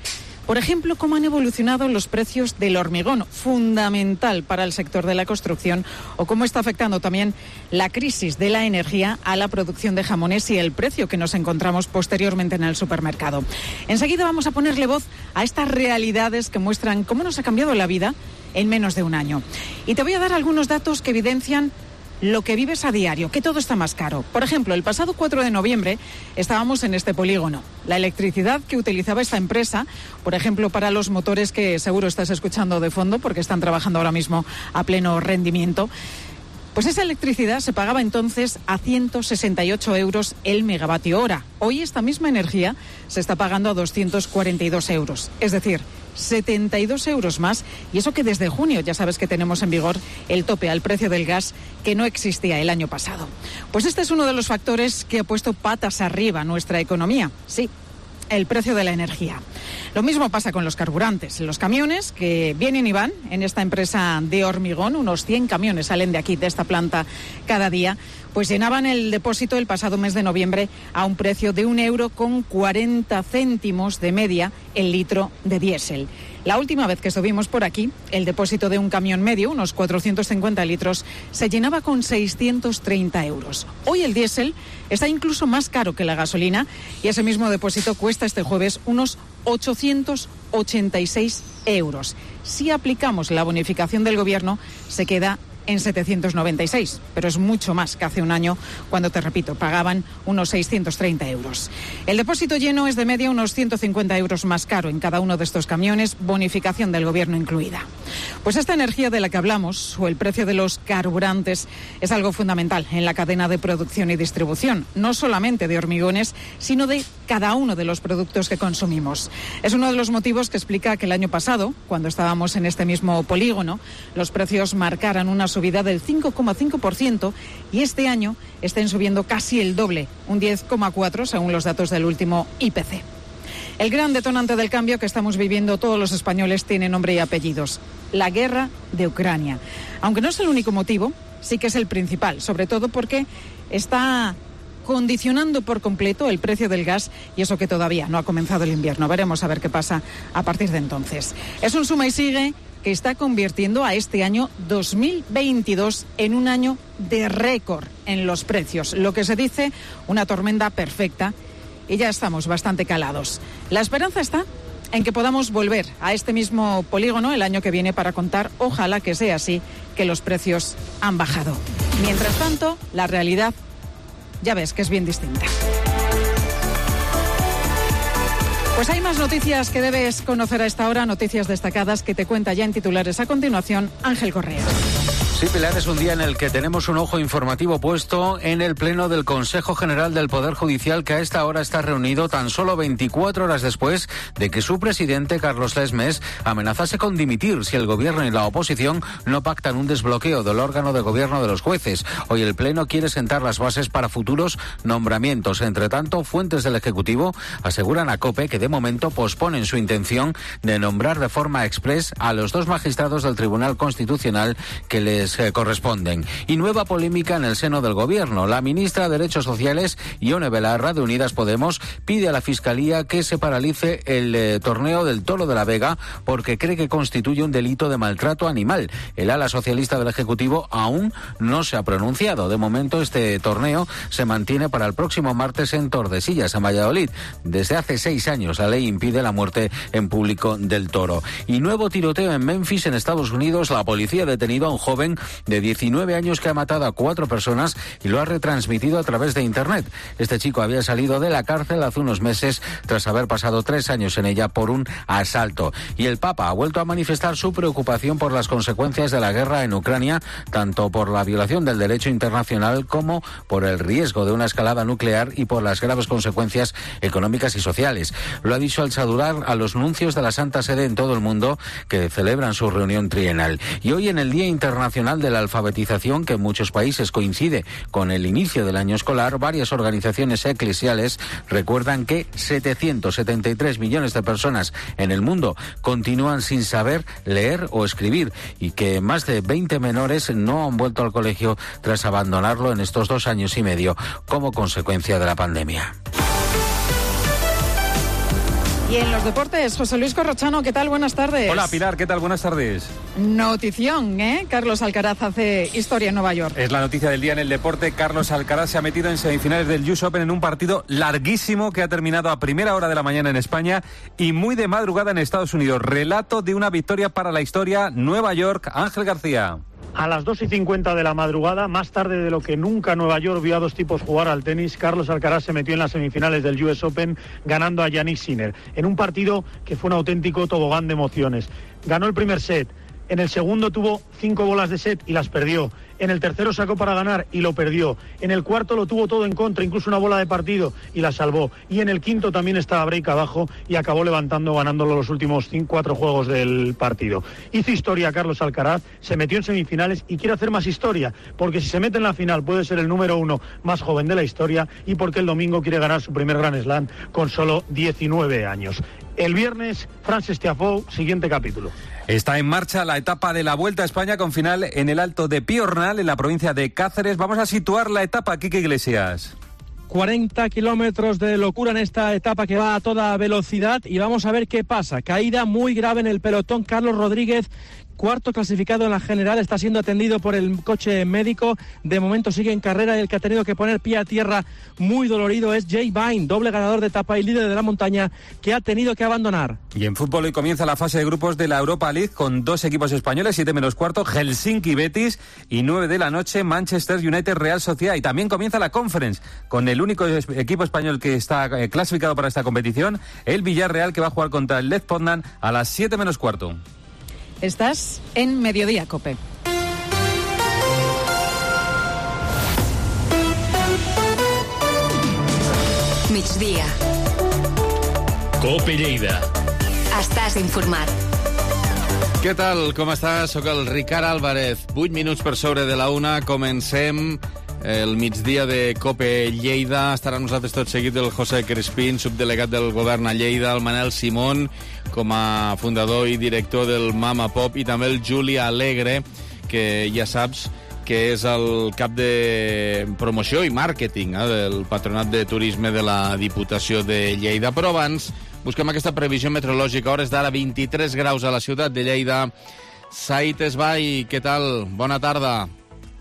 por ejemplo, cómo han evolucionado los precios del hormigón, fundamental para el sector de la construcción, o cómo está afectando también la crisis de la energía a la producción de jamones y el precio que nos encontramos posteriormente en el supermercado. Enseguida vamos a ponerle voz a estas realidades que muestran cómo nos ha cambiado la vida en menos de un año. Y te voy a dar algunos datos que evidencian lo que vives a diario, que todo está más caro. Por ejemplo, el pasado 4 de noviembre estábamos en este polígono. La electricidad que utilizaba esta empresa, por ejemplo, para los motores que seguro estás escuchando de fondo porque están trabajando ahora mismo a pleno rendimiento, pues esa electricidad se pagaba entonces a 168 euros el megavatio hora. Hoy esta misma energía se está pagando a 242 euros. Es decir, 72 euros más, y eso que desde junio ya sabes que tenemos en vigor el tope al precio del gas que no existía el año pasado. Pues este es uno de los factores que ha puesto patas arriba nuestra economía. Sí, el precio de la energía. Lo mismo pasa con los carburantes. Los camiones que vienen y van en esta empresa de hormigón, unos 100 camiones salen de aquí, de esta planta, cada día, pues llenaban el depósito el pasado mes de noviembre a un precio de 1,40 € de media el litro de diésel. La última vez que estuvimos por aquí, el depósito de un camión medio, unos 450 litros, se llenaba con 630 euros. Hoy el diésel está incluso más caro que la gasolina y ese mismo depósito cuesta este jueves unos 886 euros. Si aplicamos la bonificación del gobierno, se queda en 796, pero es mucho más que hace un año, cuando, te repito, pagaban unos 630 euros. El depósito lleno es de media unos 150 euros más caro en cada uno de estos camiones, bonificación del gobierno incluida. Pues esta energía de la que hablamos, o el precio de los carburantes, es algo fundamental en la cadena de producción y distribución, no solamente de hormigones, sino de cada uno de los productos que consumimos. Es uno de los motivos que explica que el año pasado, cuando estábamos en este mismo polígono, los precios marcaran una subida del 5,5% y este año estén subiendo casi el doble, un 10,4% según los datos del último IPC. El gran detonante del cambio que estamos viviendo todos los españoles tiene nombre y apellidos: la guerra de Ucrania. Aunque no es el único motivo, sí que es el principal, sobre todo porque está condicionando por completo el precio del gas, y eso que todavía no ha comenzado el invierno. Veremos a ver qué pasa a partir de entonces. Es un suma y sigue que está convirtiendo a este año 2022 en un año de récord en los precios, lo que se dice una tormenta perfecta, y ya estamos bastante calados. La esperanza está en que podamos volver a este mismo polígono el año que viene para contar, ojalá que sea así, que los precios han bajado. Mientras tanto, la realidad ya ves que es bien distinta. Pues hay más noticias que debes conocer a esta hora, noticias destacadas que te cuenta ya en titulares a continuación Ángel Correa. Sí, Pilar, es un día en el que tenemos un ojo informativo puesto en el Pleno del Consejo General del Poder Judicial, que a esta hora está reunido tan solo 24 horas después de que su presidente, Carlos Lesmes, amenazase con dimitir si el Gobierno y la oposición no pactan un desbloqueo del órgano de gobierno de los jueces. Hoy el Pleno quiere sentar las bases para futuros nombramientos. Entre tanto, fuentes del Ejecutivo aseguran a COPE que de momento posponen su intención de nombrar de forma exprés a los 2 magistrados del Tribunal Constitucional que les les corresponden. Y nueva polémica en el seno del gobierno. La ministra de Derechos Sociales, Ione Belarra, de Unidas Podemos, pide a la Fiscalía que se paralice el torneo del Toro de la Vega porque cree que constituye un delito de maltrato animal. El ala socialista del Ejecutivo aún no se ha pronunciado. De momento, este torneo se mantiene para el próximo martes en Tordesillas, en Valladolid. Desde hace 6 años la ley impide la muerte en público del toro. Y nuevo tiroteo en Memphis, en Estados Unidos. La policía ha detenido a un joven de 19 años que ha matado a 4 personas y lo ha retransmitido a través de Internet. Este chico había salido de la cárcel hace unos meses tras haber pasado 3 años en ella por un asalto. Y el Papa ha vuelto a manifestar su preocupación por las consecuencias de la guerra en Ucrania, tanto por la violación del derecho internacional como por el riesgo de una escalada nuclear y por las graves consecuencias económicas y sociales. Lo ha dicho al saludar a los nuncios de la Santa Sede en todo el mundo que celebran su reunión trienal. Y hoy, en el Día Internacional de la Alfabetización, que en muchos países coincide con el inicio del año escolar, varias organizaciones eclesiales recuerdan que 773 millones de personas en el mundo continúan sin saber leer o escribir y que más de 20 menores no han vuelto al colegio tras abandonarlo en estos 2 años y medio como consecuencia de la pandemia. Y en los deportes, José Luis Corrochano, ¿qué tal? Buenas tardes. Hola, Pilar, ¿qué tal? Buenas tardes. Notición, ¿eh? Carlos Alcaraz hace historia en Nueva York. Es la noticia del día en el deporte. Carlos Alcaraz se ha metido en semifinales del US Open en un partido larguísimo que ha terminado a primera hora de la mañana en España y muy de madrugada en Estados Unidos. Relato de una victoria para la historia. Nueva York, Ángel García. A las 2:50 de la madrugada, más tarde de lo que nunca Nueva York vio a 2 tipos jugar al tenis, Carlos Alcaraz se metió en las semifinales del US Open ganando a Yannick Sinner, en un partido que fue un auténtico tobogán de emociones. Ganó el primer set, en el segundo tuvo 5 bolas de set y las perdió. En el tercero sacó para ganar y lo perdió. En el cuarto lo tuvo todo en contra, incluso una bola de partido, y la salvó. Y en el quinto también estaba break abajo y acabó ganándolo los últimos 4 juegos del partido. Hizo historia Carlos Alcaraz, se metió en semifinales y quiere hacer más historia, porque si se mete en la final puede ser el número 1 más joven de la historia y porque el domingo quiere ganar su primer Grand Slam con solo 19 años. El viernes, Frances Tiafoe, siguiente capítulo. Está en marcha la etapa de la Vuelta a España con final en el Alto de Piornal, en la provincia de Cáceres. Vamos a situar la etapa, Quique Iglesias. 40 kilómetros de locura en esta etapa que va a toda velocidad y vamos a ver qué pasa. Caída muy grave en el pelotón. Carlos Rodríguez, cuarto clasificado en la general, está siendo atendido por el coche médico. De momento sigue en carrera y el que ha tenido que poner pie a tierra muy dolorido es Jay Vine, doble ganador de etapa y líder de la montaña, que ha tenido que abandonar. Y en fútbol hoy comienza la fase de grupos de la Europa League con 2 equipos españoles, 7 menos cuarto, Helsinki Betis, y 9 de la noche, Manchester United Real Sociedad. Y también comienza la Conference con el único equipo español que está clasificado para esta competición, el Villarreal, que va a jugar contra el Lech Poznan a las 7 menos cuarto. Estás en Mediodía, COPE. Migdia. COPE Lleida. Estàs informat. Què tal? Com estàs? Soc el Ricard Álvarez. 8 minuts per sobre de la 1. Comencem el migdia de COPE Lleida. Estarà amb nosaltres tot seguit el José Crespín, subdelegat del govern a Lleida, el Manel Simón, com a fundador i director del Mama Pop, i també el Juli Alegre, que ja saps que és el cap de promoció i màrqueting del Patronat de Turisme de la Diputació de Lleida. Però abans busquem aquesta previsió meteorològica. Hores d'ara, 23 graus a la ciutat de Lleida. Said Esbai, què tal? Bona tarda.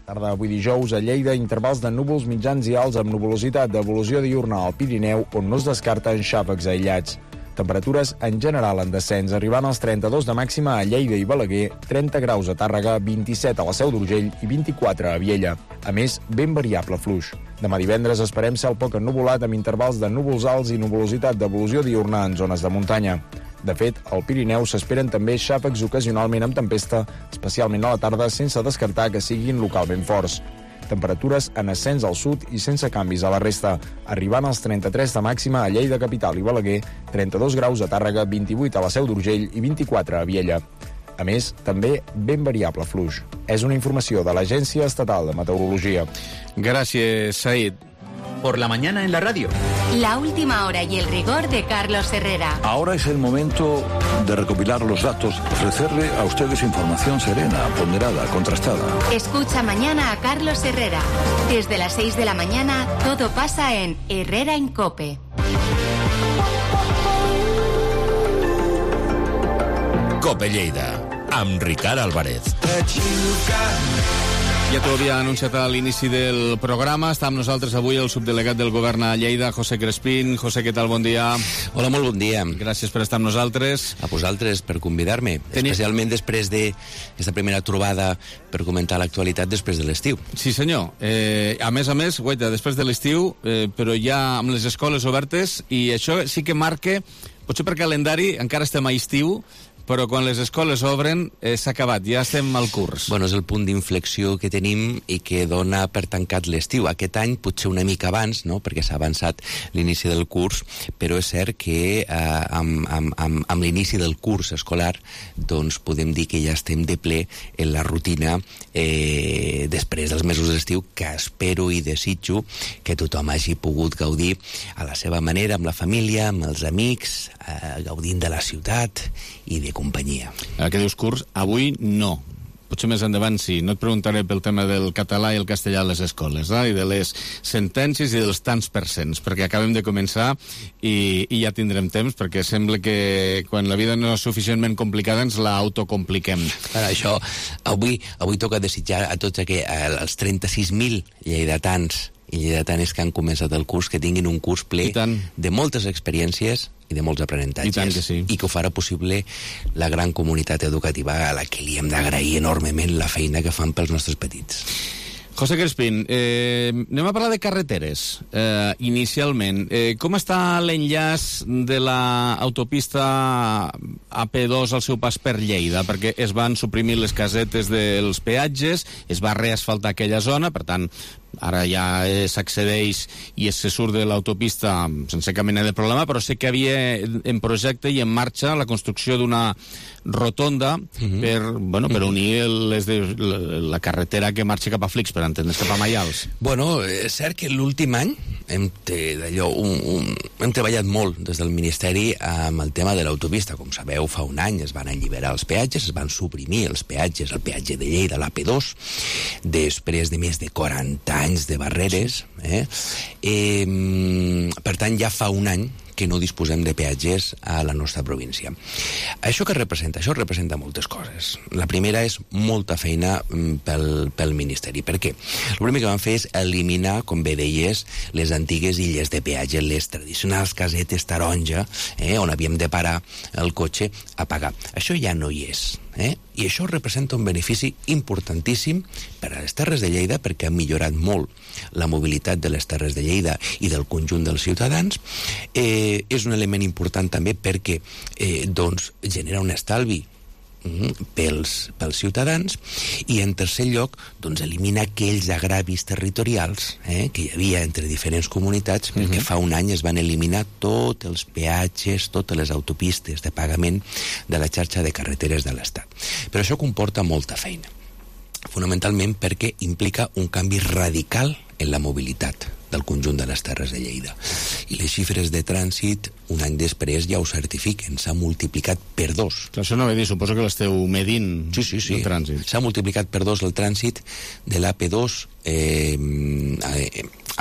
Tarda avui dijous a Lleida, intervals de núvols mitjans i alts amb nuvolositat d'evolució diurna al Pirineu, on no es descarten xàfecs aïllats. Temperatures en general en descens, arribant als 32 de màxima a Lleida i Balaguer, 30 graus a Tàrrega, 27 a la Seu d'Urgell i 24 a Viella. A més, ben variable fluix. Demà divendres esperem cel poc ennuvolat amb intervals de núvols alts i nuvolositat d'evolució diurna en zones de muntanya. De fet, al Pirineu s'esperen també xàfecs ocasionalment amb tempesta, especialment a la tarda, sense descartar que siguin localment forts. Temperatures en ascens al sud i sense canvis a la resta, arribant als 33 de màxima a Lleida capital i Balaguer, 32 graus a Tàrrega, 28 a la Seu d'Urgell i 24 a Viella. A més, també ben variable fluix. És una informació de l'Agència Estatal de Meteorologia. Gràcies, Said. por la mañana en la radio. La última hora y el rigor de Carlos Herrera. Ahora es el momento de recopilar los datos, ofrecerle a ustedes información serena, ponderada, contrastada. Escucha mañana a Carlos Herrera. Desde las 6 de la mañana, todo pasa en Herrera en COPE. COPE Lleida, amb Ricard Álvarez. Ja t'ho havia anunciat a l'inici del programa. Està amb nosaltres avui el subdelegat del govern a Lleida, José Crespín. José, què tal? Bon dia. Hola, molt bon dia. Gràcies per estar amb nosaltres. A vosaltres per convidar-me, especialment després d'aquesta primera trobada per comentar l'actualitat després de l'estiu. Sí, senyor. A més, guaita, després de l'estiu, però ja amb les escoles obertes, i això sí que marca, potser per calendari encara estem a estiu, però quan les escoles obren s'ha acabat, ja estem al curs. Bueno, és el punt d'inflexió que tenim i que dona per tancat l'estiu. Aquest any potser una mica abans, no?, perquè s'ha avançat l'inici del curs, però és cert que amb l'inici del curs escolar doncs podem dir que ja estem de ple en la rutina després dels mesos d'estiu, que espero i desitjo que tothom hagi pogut gaudir a la seva manera, amb la família, amb els amics, gaudint de la ciutat i de companyia. Ara que dius curs, avui no. Potser més endavant sí. No et preguntaré pel tema del català i el castellà a les escoles, i de les sentències i dels tants percents, perquè acabem de començar i ja tindrem temps, perquè sembla que quan la vida no és suficientment complicada ens la autocompliquem. Per això, avui toca desitjar a tots els 36.000 lleidatans i lleidatanes que han començat el curs, que tinguin un curs ple de moltes experiències i de molts aprenentatges. I tant que sí. I que ho farà possible la gran comunitat educativa a la que li hem d'agrair enormement la feina que fan pels nostres petits. José Crespín, anem a parlar de carreteres, inicialment. Com està l'enllaç de l'autopista AP2 al seu pas per Lleida? Perquè es van suprimir les casetes dels peatges, es va reasfaltar aquella zona, per tant, ara ja s'accedeix i se surt de l'autopista sense cap mena de problema, però sé que havia en projecte i en marxa la construcció d'una rotonda per unir la carretera que marxa cap a Flix, per entendre's, cap a Maials. Bueno, és cert que l'últim any hem treballat molt des del Ministeri amb el tema de l'autopista. Com sabeu, fa un any es van alliberar els peatges, es van suprimir els peatges, el peatge de Lleida, l'AP2, després de més de 40 anys de barreres. Per tant, ja fa un any que no disposem de peatges a la nostra província. Això què representa? Això representa moltes coses. La primera és molta feina pel Ministeri. Per què? El primer que vam fer és eliminar, com bé deies, les antigues illes de peatge, les tradicionals casetes taronja, on havíem de parar el cotxe a pagar. Això ja no hi és. I això representa un benefici importantíssim per a les Terres de Lleida, perquè ha millorat molt la mobilitat de les Terres de Lleida i del conjunt dels ciutadans. És un element important també perquè genera un estalvi pels ciutadans, i en tercer lloc elimina aquells agravis territorials que hi havia entre diferents comunitats, perquè fa un any es van eliminar tots els peatges, totes les autopistes de pagament de la xarxa de carreteres de l'Estat. Però això comporta molta feina, fonamentalment perquè implica un canvi radical en la mobilitat del conjunt de les Terres de Lleida. I les xifres de trànsit, un any després, ja ho certifiquen. S'ha multiplicat per 2. Clar, això no ve dir, suposo que l'esteu medint. Sí. El trànsit. S'ha multiplicat per 2 el trànsit de l'AP2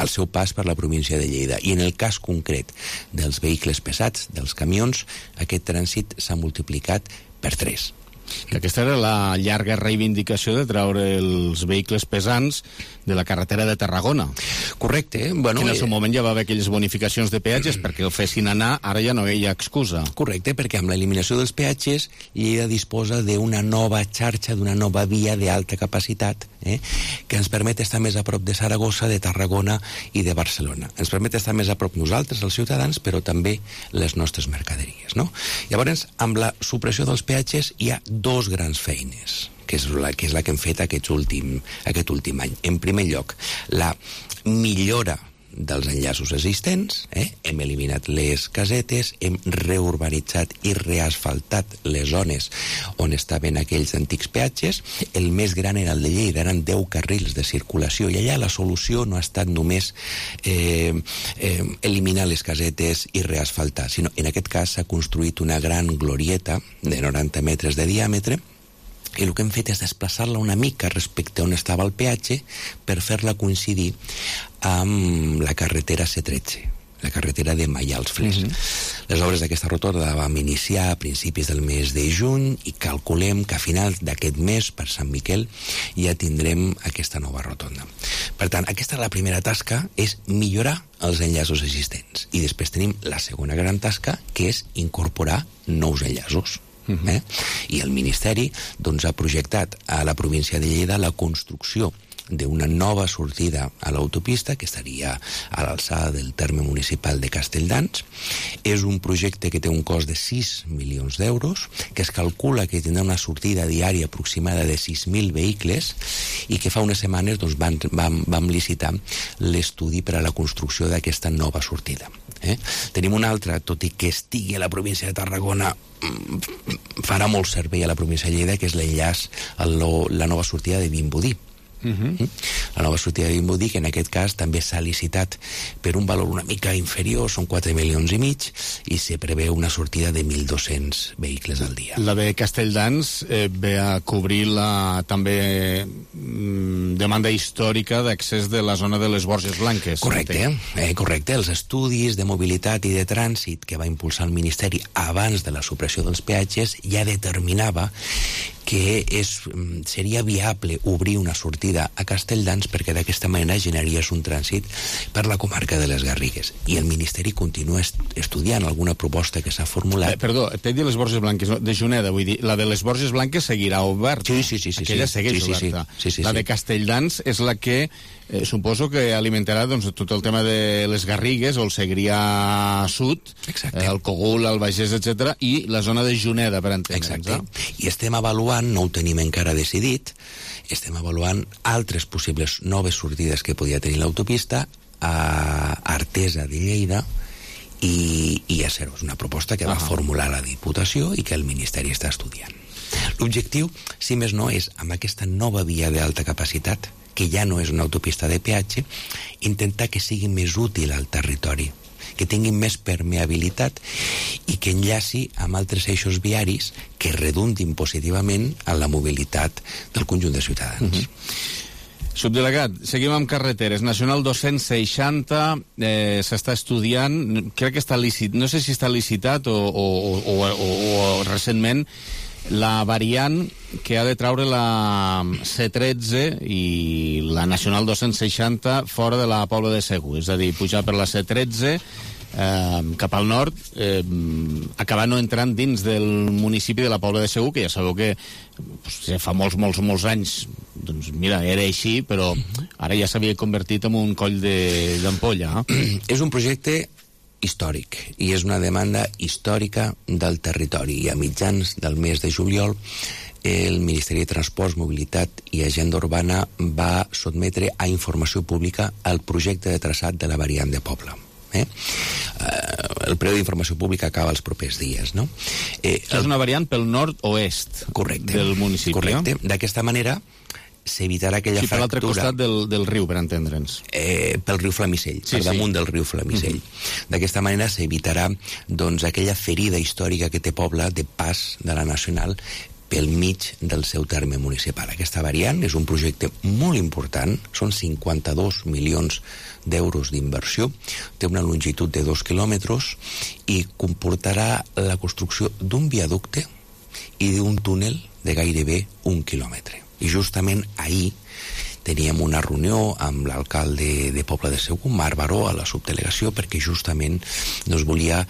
al seu pas per la província de Lleida. I en el cas concret dels vehicles pesats, dels camions, aquest trànsit s'ha multiplicat per 3. Que aquesta era la llarga reivindicació de treure els vehicles pesants de la carretera de Tarragona. Correcte. Bueno, en el seu moment ja va haver aquelles bonificacions de peatges perquè el fessin anar, ara ja no hi ha excusa. Correcte, perquè amb l'eliminació dels peatges Lleida disposa d'una nova xarxa, d'una nova via d'alta capacitat, que ens permet estar més a prop de Saragossa, de Tarragona i de Barcelona. Ens permet estar més a prop nosaltres, els ciutadans, però també les nostres mercaderies, no? Llavors, amb la supressió dels peatges hi ha 2 grans feines, que és la que hem fet aquest últim any. En primer lloc, la millora dels enllaços existents, hem eliminat les casetes, hem reurbanitzat i reasfaltat les zones on estaven aquells antics peatges. El més gran era el de Lleida, eren 10 carrils de circulació, i allà la solució no ha estat només eliminar les casetes i reasfaltar, sinó en aquest cas s'ha construït una gran glorieta de 90 metres de diàmetre, i el que hem fet és desplaçar-la una mica respecte a on estava el peatge per fer-la coincidir amb la carretera C13, la carretera de Maials-Fles. Les obres d'aquesta rotonda vam iniciar a principis del mes de juny i calculem que a finals d'aquest mes, per Sant Miquel, ja tindrem aquesta nova rotonda. Per tant, aquesta és la primera tasca, és millorar els enllaços existents. I després tenim la segona gran tasca, que és incorporar nous enllaços. I el Ministeri ha projectat a la província de Lleida la construcció d'una nova sortida a l'autopista que estaria a l'alçada del terme municipal de Castelldans. És un projecte que té un cost de 6 milions d'euros, que es calcula que tindrà una sortida diària aproximada de 6.000 vehicles i que fa unes setmanes vam licitar l'estudi per a la construcció d'aquesta nova sortida. Tenim una altra, tot i que estigui a la província de Tarragona, farà molt servei a la província de Lleida, que és l'enllaç a la nova sortida de Vimbodí. La nova sortida de Vimbodí, que en aquest cas també s'ha licitat per un valor una mica inferior, són 4 milions i mig, i se preveu una sortida de 1.200 vehicles al dia. La de Castelldans ve a cobrir la també demanda històrica d'accés de la zona de les Borges Blanques. Correcte. Els estudis de mobilitat i de trànsit que va impulsar el Ministeri abans de la supressió dels peatges ja determinava que seria viable obrir una sortida a Castelldans perquè d'aquesta manera generaries un trànsit per la comarca de les Garrigues. I el Ministeri continua estudiant alguna proposta que s'ha formulat. Perdó, t'he dit les Borges Blanques, de Juneda, vull dir, la de les Borges Blanques seguirà oberta. Sí. Aquella segueix oberta. La de Castelldans és la que suposo que alimentarà tot el tema de les Garrigues o el Segrià Sud, el Cogul, el Bages, etc., i la zona de Juneda, per entendre'ns. I estem avaluant, no ho tenim encara decidit, estem avaluant altres possibles noves sortides que podia tenir l'autopista a Artesa de Lleida i a Serós. Una proposta que va formular la Diputació i que el Ministeri està estudiant. L'objectiu, si més no, és amb aquesta nova via d'alta capacitat, que ja no és una autopista de peatge, intentar que sigui més útil al territori, que tingui més permeabilitat i que enllaci amb altres eixos viaris que redundin positivament en la mobilitat del conjunt de ciutadans. Subdelegat, seguim amb carreteres. Nacional 260 s'està estudiant, crec que està licitat, no sé si està licitat o recentment, la variant que ha de traure la C13 i la Nacional 260 fora de la Pobla de Segur, és a dir, pujar per la C13 cap al nord, acabar no entrant dins del municipi de la Pobla de Segur, que ja sabeu que fa molts anys, doncs mira, era així, però ara ja s'havia convertit en un coll d'ampolla. És un projecte històric i és una demanda històrica del territori, i a mitjans del mes de juliol el Ministeri de Transports, Mobilitat i Agenda Urbana va sotmetre a informació pública el projecte de traçat de la variant de Pobla. El període d'informació pública acaba els propers dies, no? És una variant pel nord-oest del municipi. Correcte. D'aquesta manera s'evitarà aquella fractura... per l'altre costat del riu, per entendre'ns. Pel riu Flamisell, per damunt del riu Flamisell. D'aquesta manera s'evitarà aquella ferida històrica que té Pobla de pas de la Nacional pel mig del seu terme municipal. Aquesta variant és un projecte molt important, són 52 milions d'euros d'inversió, té una longitud de 2 quilòmetres i comportarà la construcció d'un viaducte i d'un túnel de gairebé 1 quilòmetre. I justament ahir teníem una reunió amb l'alcalde de Pobla de Segur, Marc Baró, a la subdelegació, perquè justament volia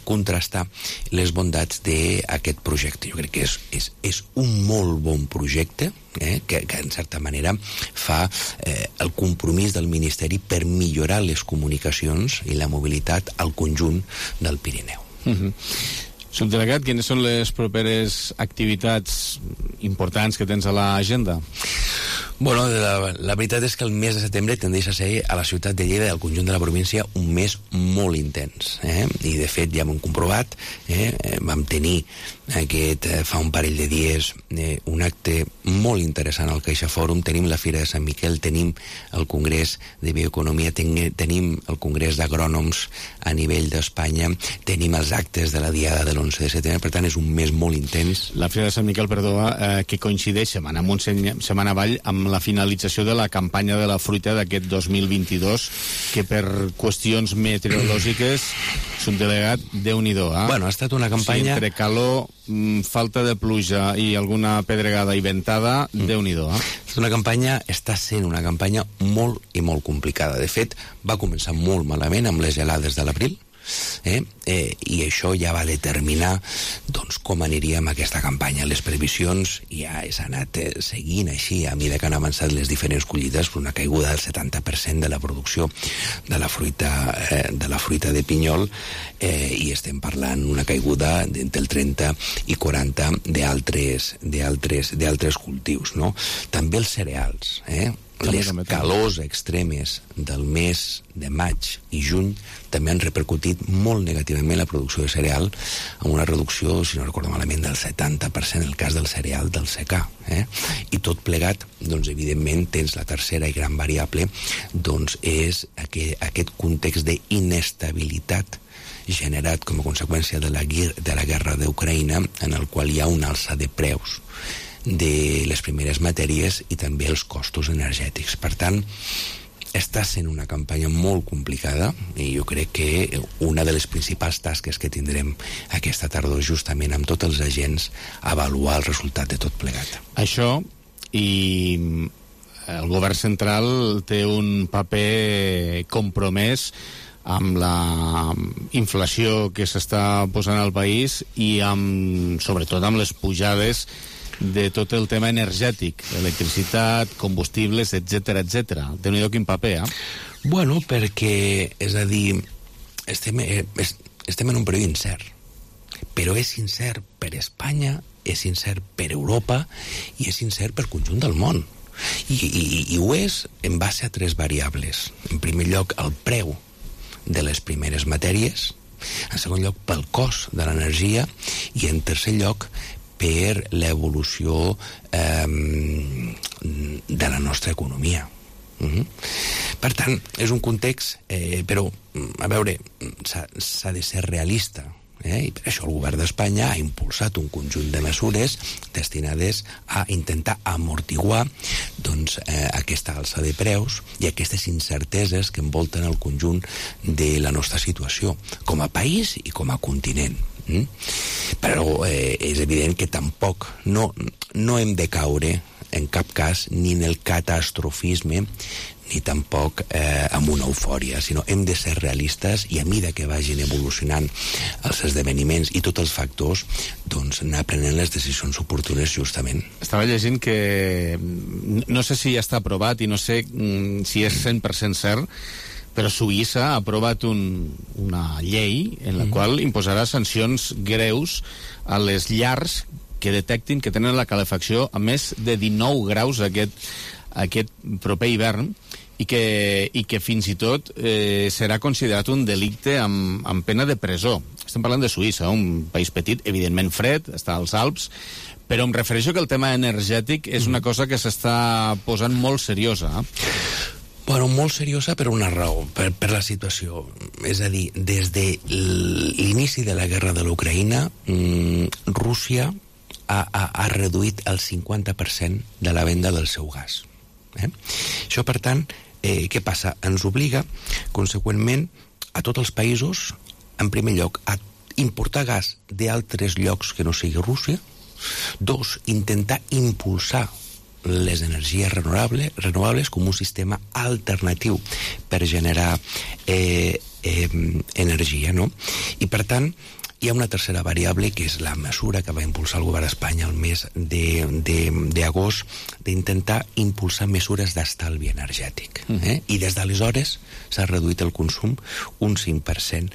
contrastar les bondats d'aquest projecte. Jo crec que és un molt bon projecte, que en certa manera fa el compromís del Ministeri per millorar les comunicacions i la mobilitat al conjunt del Pirineu. Subdelegat, quines són les properes activitats importants que tens a l'agenda? Bueno, la veritat és que el mes de setembre tendeix a ser a la ciutat de Lleida i al conjunt de la província un mes molt intens, i de fet ja ho hem comprovat, vam tenir fa un parell de dies un acte molt interessant al CaixaForum, tenim la Fira de Sant Miquel, tenim el Congrés de Bioeconomia, tenim el Congrés d'Agrònoms a nivell d'Espanya, tenim els actes de la Diada de l'11 de setembre, per tant és un mes molt intens. La Fira de Sant Miquel, perdó, que coincideix setmana amunt, setmana avall, amb la finalització de la campanya de la fruita d'aquest 2022, que per qüestions meteorològiques s'un delegat Déu-n'hi-do. Bueno, ha estat una campanya... Sí, entre calor, falta de pluja i alguna pedregada i ventada, Déu-n'hi-do. Està sent una campanya molt i molt complicada. De fet, va començar molt malament amb les gelades de l'abril, i això ja va determinar doncs, com aniríem a aquesta campanya. Les previsions ja s'han anat seguint així a mesura que han avançat les diferents collites, una caiguda del 70% de la producció de la fruita de pinyol, i estem parlant una caiguda d'entre el 30 i 40 d'altres cultius, no? També els cereals, les calors extremes del mes de maig i juny també han repercutit molt negativament la producció de cereal, amb una reducció, si no recordo malament, del 70% en el cas del cereal del secà. I tot plegat, doncs, evidentment, tens la tercera i gran variable, doncs, és aquest context d'inestabilitat generat com a conseqüència de la guerra d'Ucraïna, en el qual hi ha una alça de preus de les primeres matèries i també els costos energètics. Per tant, està sent una campanya molt complicada i jo crec que una de les principals tasques que tindrem aquesta tardor justament amb tots els agents avaluar el resultat de tot plegat. Això, i el govern central té un paper compromès amb la inflació que s'està posant al país i sobretot amb les pujades de tot el tema energètic, electricitat, combustibles, etc. Déu-n'hi-do quin paper, Bueno, perquè, és a dir, estem en un període incert, però és incert per Espanya, és incert per Europa i és incert per conjunt del món. I ho és en base a 3 variables. En primer lloc, el preu de les primeres matèries, en segon lloc, pel cost de l'energia, i en tercer lloc, per l'evolució de la nostra economia. Per tant, és un context, però, a veure, s'ha de ser realista, i per això el govern d'Espanya ha impulsat un conjunt de mesures destinades a intentar amortiguar aquesta alça de preus i aquestes incerteses que envolten el conjunt de la nostra situació com a país i com a continent. Però és evident que tampoc no hem de caure en cap cas ni en el catastrofisme ni tampoc amb una eufòria, sinó hem de ser realistes i a mesura que vagin evolucionant els esdeveniments i tots els factors, doncs anar prenent les decisions oportunes justament. Estava llegint que no sé si ja està aprovat i no sé si és 100% cert, però Suïssa ha aprovat una llei en la qual imposarà sancions greus a les llars que detectin que tenen la calefacció a més de 19 graus aquest proper hivern i que fins i tot serà considerat un delicte amb pena de presó. Estem parlant de Suïssa, un país petit, evidentment fred, està als Alps, però em refereixo que el tema energètic és una cosa que s'està posant molt seriosa. Bueno, molt seriosa per una raó, per la situació. És a dir, des de l'inici de la guerra de l'Ucraïna, Rússia ha reduït el 50% de la venda del seu gas. Això, per tant, què passa? Ens obliga, conseqüentment, a tots els països, en primer lloc, a importar gas d'altres llocs que no sigui Rússia. 2, intentar impulsar les energies renovables com un sistema alternatiu per generar energia, no? I, per tant, hi ha una tercera variable, que és la mesura que va impulsar el govern d'Espanya el mes d'agost, d'intentar impulsar mesures d'estalvi energètic. I des d'aleshores s'ha reduït el consum un 5%.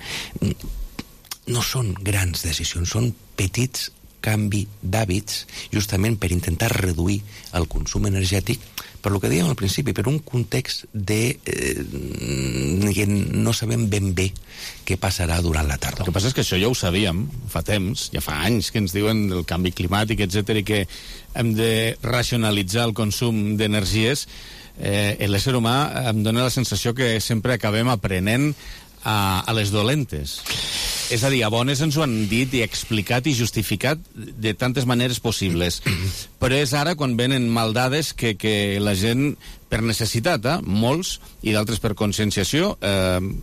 No són grans decisions, són petits canvi d'hàbits justament per intentar reduir el consum energètic, per lo que dèiem al principi, per un context que no sabem ben bé què passarà durant la tardor. El que passa és que això ja ho sabíem fa temps, ja fa anys que ens diuen del canvi climàtic, etc, i que hem de racionalitzar el consum d'energies. L'ésser humà em dóna la sensació que sempre acabem aprenent a les dolentes. És a dir, a bones ens ho han dit i explicat i justificat de tantes maneres possibles. Però és ara quan venen maldades que la gent, per necessitat, molts, i d'altres per conscienciació,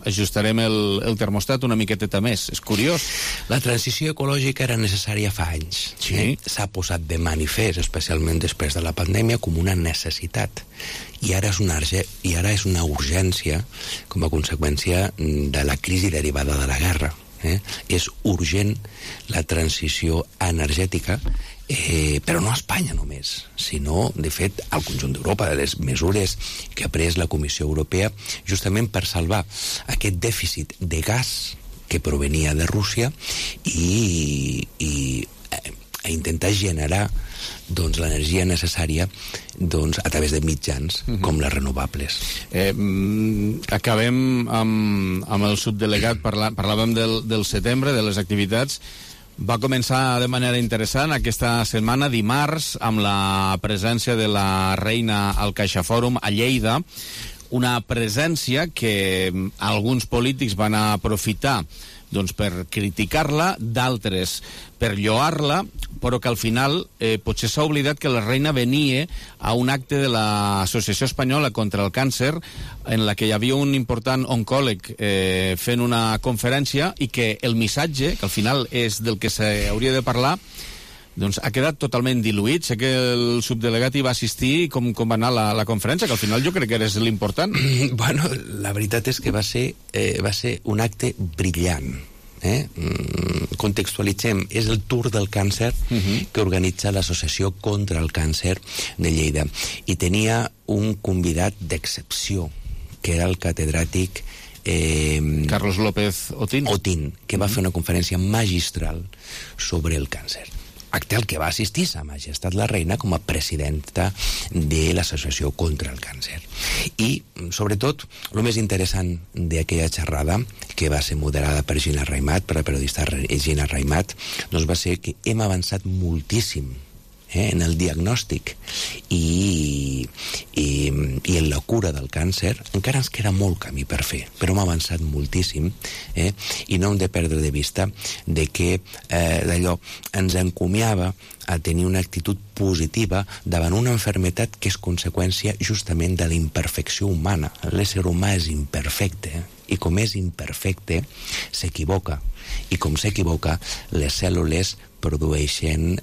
ajustarem el termostat una miqueteta més. És curiós. La transició ecològica era necessària fa anys. Sí. S'ha posat de manifest, especialment després de la pandèmia, com una necessitat. I ara és una urgència com a conseqüència de la crisi derivada de la guerra. És urgent la transició energètica, però no a Espanya només, sinó, de fet, al conjunt d'Europa, de les mesures que ha pres la Comissió Europea justament per salvar aquest dèficit de gas que provenia de Rússia i a intentar generar l'energia necessària a través de mitjans com les renovables. Acabem amb el subdelegat, parlàvem del setembre, de les activitats. Va començar de manera interessant aquesta setmana, dimarts, amb la presència de la reina al CaixaFòrum a Lleida, una presència que alguns polítics van aprofitar per criticar-la, d'altres per lloar-la, però que al final potser s'ha oblidat que la reina venia a un acte de l'Associació Espanyola contra el Càncer, en la que hi havia un important oncòleg fent una conferència, i que el missatge, que al final és del que s'hauria de parlar, ha quedat totalment diluït. Sé que el subdelegat hi va assistir. Com va anar la conferència, que al final jo crec que era l'important. Bueno, la veritat és que va ser un acte brillant. Contextualitzem, és el Tour del Càncer que organitza l'Associació contra el Càncer de Lleida, i tenia un convidat d'excepció, que era el catedràtic Carlos López Otín, que va fer una conferència magistral sobre el càncer. Acte al que va assistir Sa Majestat la Reina com a presidenta de l'Associació contra el Càncer. I, sobretot, el més interessant d'aquella xerrada, que va ser moderada per Gina Raimat, per la periodista Gina Raimat, va ser que hem avançat moltíssim en el diagnòstic i en la cura del càncer. Encara ens queda molt camí per fer, però hem avançat moltíssim, i no hem de perdre de vista de que d'allò ens encomiava a tenir una actitud positiva davant una malaltia que és conseqüència justament de la imperfecció humana. L'ésser humà és imperfecte, i com és imperfecte, s'equivoca. I com s'equivoca, les cèl·lules produeixen,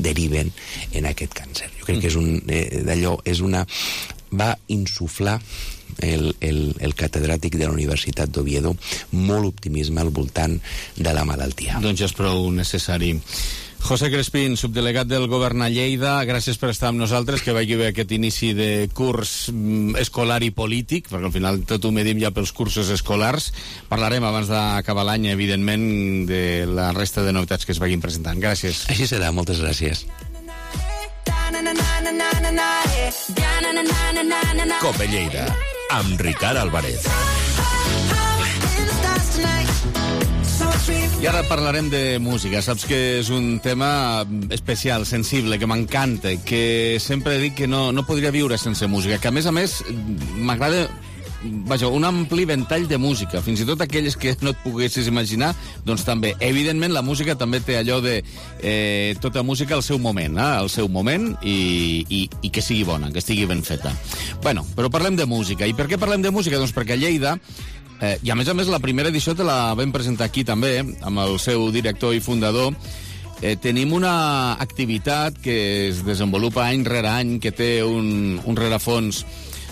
deriven en aquest càncer. Jo crec que va insuflar el catedràtic de la Universitat d'Oviedo molt optimisme al voltant de la malaltia. Doncs ja és prou necessari. José Crespín, subdelegat del Govern a Lleida, gràcies per estar amb nosaltres, que vagi bé aquest inici de curs escolar i polític, perquè al final tot ho medim ja pels cursos escolars. Parlarem abans d'acabar l'any, evidentment, de la resta de novetats que es vagin presentant. Gràcies. Així serà, moltes gràcies. Cope Lleida, amb Ricard Álvarez. I ara parlarem de música. Saps que és un tema especial, sensible, que m'encanta, que sempre dic que no podria viure sense música, que a més m'agrada un ampli ventall de música, fins i tot aquelles que no et poguessis imaginar, doncs també. Evidentment, la música també té allò de tota música al seu moment, i que sigui bona, que estigui ben feta. Bueno, però parlem de música. I per què parlem de música? Doncs perquè a Lleida, i a més la primera edició te la vam presentar aquí també, amb el seu director i fundador, tenim una activitat que es desenvolupa any rere any, que té un rerefons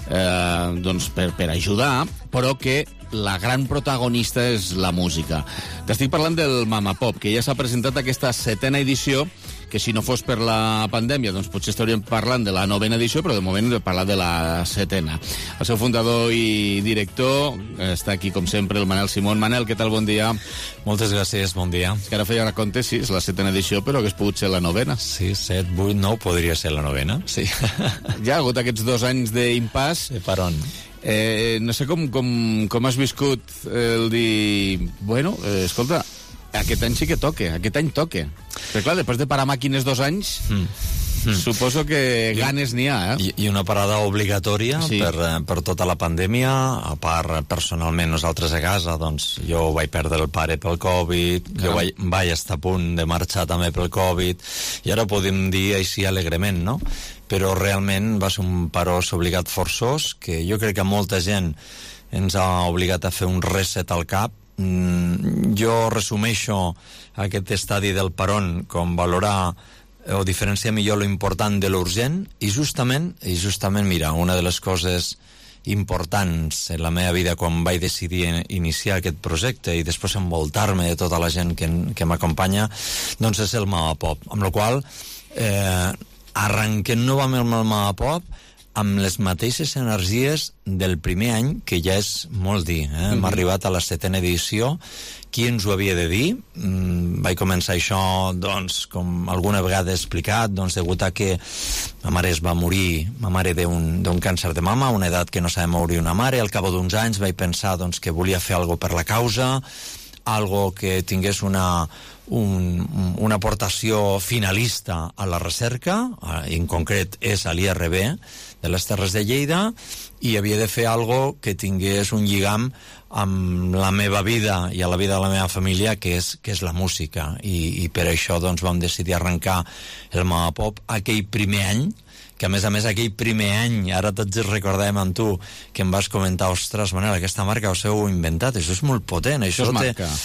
per ajudar, però que la gran protagonista és la música. T'estic parlant del Mama Pop, que ja s'ha presentat aquesta 7ª edició, que si no fos per la pandèmia, doncs potser estaríem parlant de la 9a edició, però de moment hem de parlar de la 7a. El seu fundador i director està aquí, com sempre, el Manel Simón. Manel, què tal? Bon dia. Moltes gràcies, bon dia. És que ara feia recompte, sí, és la 7a edició, però hagués pogut ser la 9a. Sí, 7, 8, 9, podria ser la 9a, sí. Ja ha hagut aquests 2 anys d'impàs. Per on? No sé com has viscut el dir... Bueno, escolta, aquest any sí que toque, aquest any toque. Però clar, després de parar màquines 2 anys... Suposo que ganes n'hi ha, I una parada obligatòria per tota la pandèmia. A part, personalment, nosaltres a casa, doncs, jo vaig perdre el pare pel Covid, jo vaig estar a punt de marxar també pel Covid, i ara podem dir així alegrement, no? Però realment va ser un parós obligat forçós, que jo crec que molta gent ens ha obligat a fer un reset al cap. Jo resumeixo aquest estadi del parón com valorar o diferenciar millor lo important de l'urgent, i justament, mira, una de les coses importants en la meva vida quan vaig decidir iniciar aquest projecte i després envoltar-me de tota la gent que m'acompanya, doncs és el Mama Pop, amb la qual arrenquem novament el Mama Pop amb les mateixes energies del primer any, que ja és molt dir, Hem arribat a la 7a edició. Qui ens ho havia de dir? Vaig començar això, doncs, com alguna vegada he explicat, doncs, degut a que ma mare es va morir, ma mare d'un càncer de mama, a una edat que no sabia morir una mare. Al cap d'uns anys vaig pensar, doncs, que volia fer alguna per la causa, algo que tingués una aportació finalista a la recerca, en concret és a l'IRB de les Terres de Lleida, i havia de fer algo que tingués un lligam amb la meva vida i a la vida de la meva família, que és la música, i per això doncs vam decidir arrencar el Mama Pop aquell primer any, que a més aquell primer any, ara tots recordàvem amb tu, que em vas comentar, ostres, Manel, aquesta marca us heu inventat, això és molt potent, això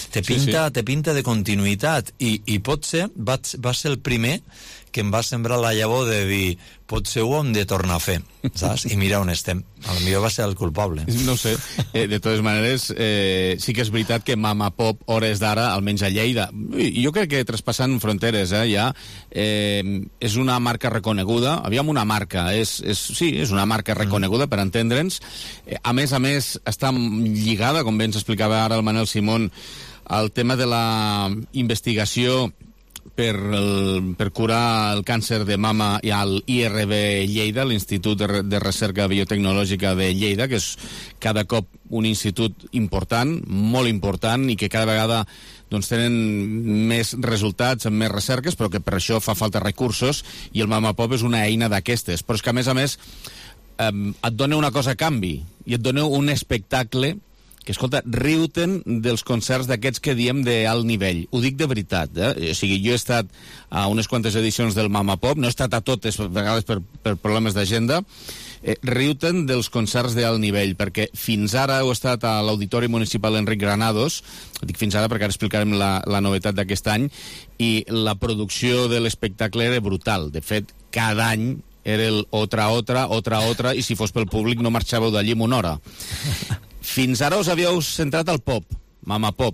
te pinta de continuïtat, i potser va ser el primer que em va sembrar la llavor de dir, potser ho hem de tornar a fer, saps? I mira on estem. Potser va ser el culpable. No sé. De totes maneres, sí que és veritat que Mama Pop, hores d'ara, almenys a Lleida, i jo crec que traspassant fronteres, ja, és una marca reconeguda. Aviam, una marca. Sí, és una marca reconeguda, per entendre'ns. A més, està lligada, com bé ens explicava ara el Manel Simón, al tema de la investigació per curar el càncer de mama i al IRB Lleida, l'Institut de Recerca Biotecnològica de Lleida, que és cada cop un institut important, molt important, i que cada vegada doncs, tenen més resultats, amb més recerques, però que per això fa falta recursos, i el Mama Pop és una eina d'aquestes. Però és que, a més, et dona una cosa a canvi, i et dona un espectacle que, escolta, riu-te'n dels concerts d'aquests que diem d'alt nivell. Ho dic de veritat, O sigui, jo he estat a unes quantes edicions del Mama Pop, no he estat a totes, a vegades per problemes d'agenda. Riu-te'n dels concerts d'alt nivell, perquè fins ara heu estat a l'Auditori Municipal Enric Granados, dic fins ara perquè ara explicarem la novetat d'aquest any, i la producció de l'espectacle era brutal. De fet, cada any era el otra, i si fos pel públic no marxàveu d'allí en una hora. Fins ara us havíeu centrat al pop, Mama Pop.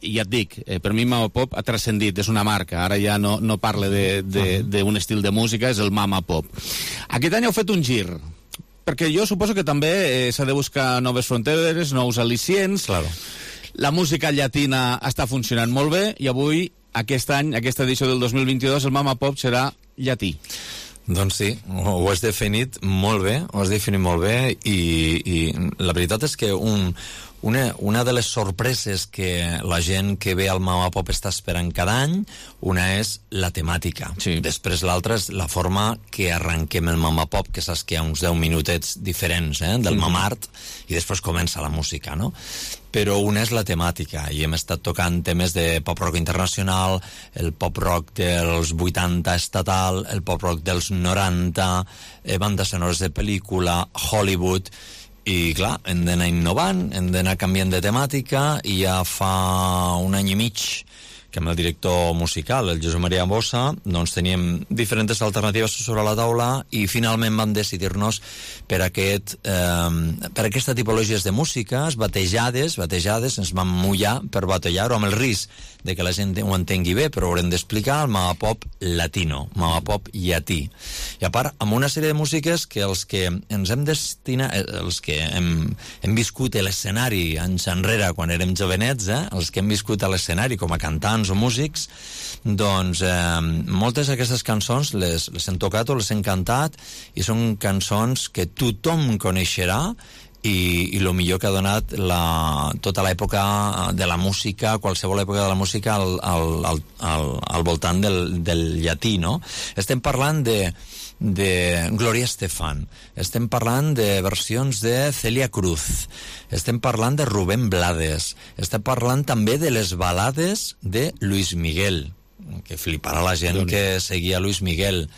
I ja et dic, per mi Mama Pop ha transcendit, és una marca. Ara ja no parla d'un estil de música, és el Mama Pop. Aquest any heu fet un gir, perquè jo suposo que també s'ha de buscar noves fronteres, nous al·licients. Claro. La música llatina està funcionant molt bé, i avui, aquest any, aquesta edició del 2022, el Mama Pop serà llatí. Doncs sí, ho has definit molt bé, i la veritat és que una de les sorpreses que la gent que ve al Mama Pop està esperant cada any, una és la temàtica. Sí. Després l'altra és la forma que arrenquem el Mama Pop, que saps que hi ha uns 10 minutets diferents del Mamart, i després comença la música, no? Però una és la temàtica, i hem estat tocant temes de pop-rock internacional, el pop-rock dels 80 estatal, el pop-rock dels 90, bandes sonores de pel·lícula, Hollywood, i clar, hem d'anar innovant, hem d'anar canviant de temàtica, i ja fa un any i mig que amb el director musical, el Josep Maria Bossa, doncs teníem diferents alternatives sobre la taula i finalment vam decidir-nos per aquesta tipologia de músiques batejades, ens vam mullar per batejar-ho amb el risc de que la gent ho entengui bé, però haurem d'explicar el mama pop latino, mama pop llatí. I a part, amb una sèrie de músiques que els que ens hem destinat, els que hem viscut a l'escenari anys enrere, quan érem jovenets, els que hem viscut a l'escenari com a cantants o músics, doncs moltes d'aquestes cançons les hem tocat o les hem cantat i són cançons que tothom coneixerà i el millor que ha donat tota l'època de la música, qualsevol època de la música al voltant del llatí, no? Estem parlant de Gloria Estefan, estem parlant de versions de Celia Cruz, estem parlant de Rubén Blades, estem parlant també de les balades de Luis Miguel, que fliparà la gent que seguia Luis Miguel.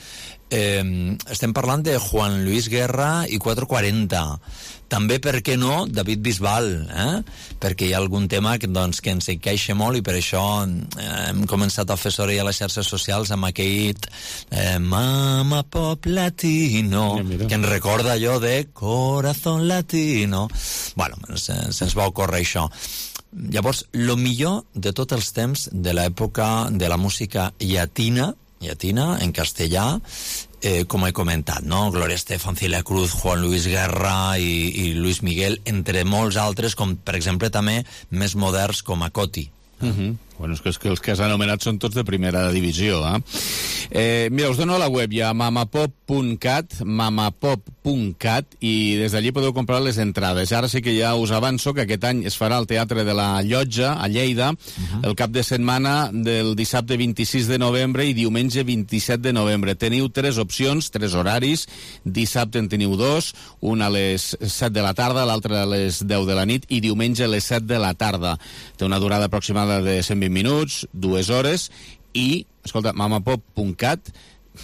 Estem parlant de Juan Luis Guerra i 440. També, per què no, David Bisbal, perquè hi ha algun tema que ens encaixa molt i per això hem començat a fer soroll a les xarxes socials amb aquell Mama Pop Latino, que ens recorda allò de Corazón Latino. Bueno, se'ns va ocórrer això. Llavors, lo millor de tots els temps de l'època de la música llatina en castellà, com he comentat, no? Gloria Estefan, Celia Cruz, Juan Luis Guerra i Luis Miguel, entre molts altres, com per exemple també més moderns com a Coti. Bueno, és que els que has anomenat són tots de primera divisió, mira, us dono a la web, hi ha mamapop.cat, i des d'allí podeu comprar les entrades. Ara sí que ja us avanço que aquest any es farà al Teatre de la Llotja, a Lleida, el cap de setmana del dissabte 26 de novembre i diumenge 27 de novembre. Teniu 3 opcions, 3 horaris, dissabte en teniu 2, un a les 7 de la tarda, l'altre a les 10 de la nit i diumenge a les 7 de la tarda. Té una durada aproximada de 120 minuts, 2 hores i, escolta, mamapop.cat,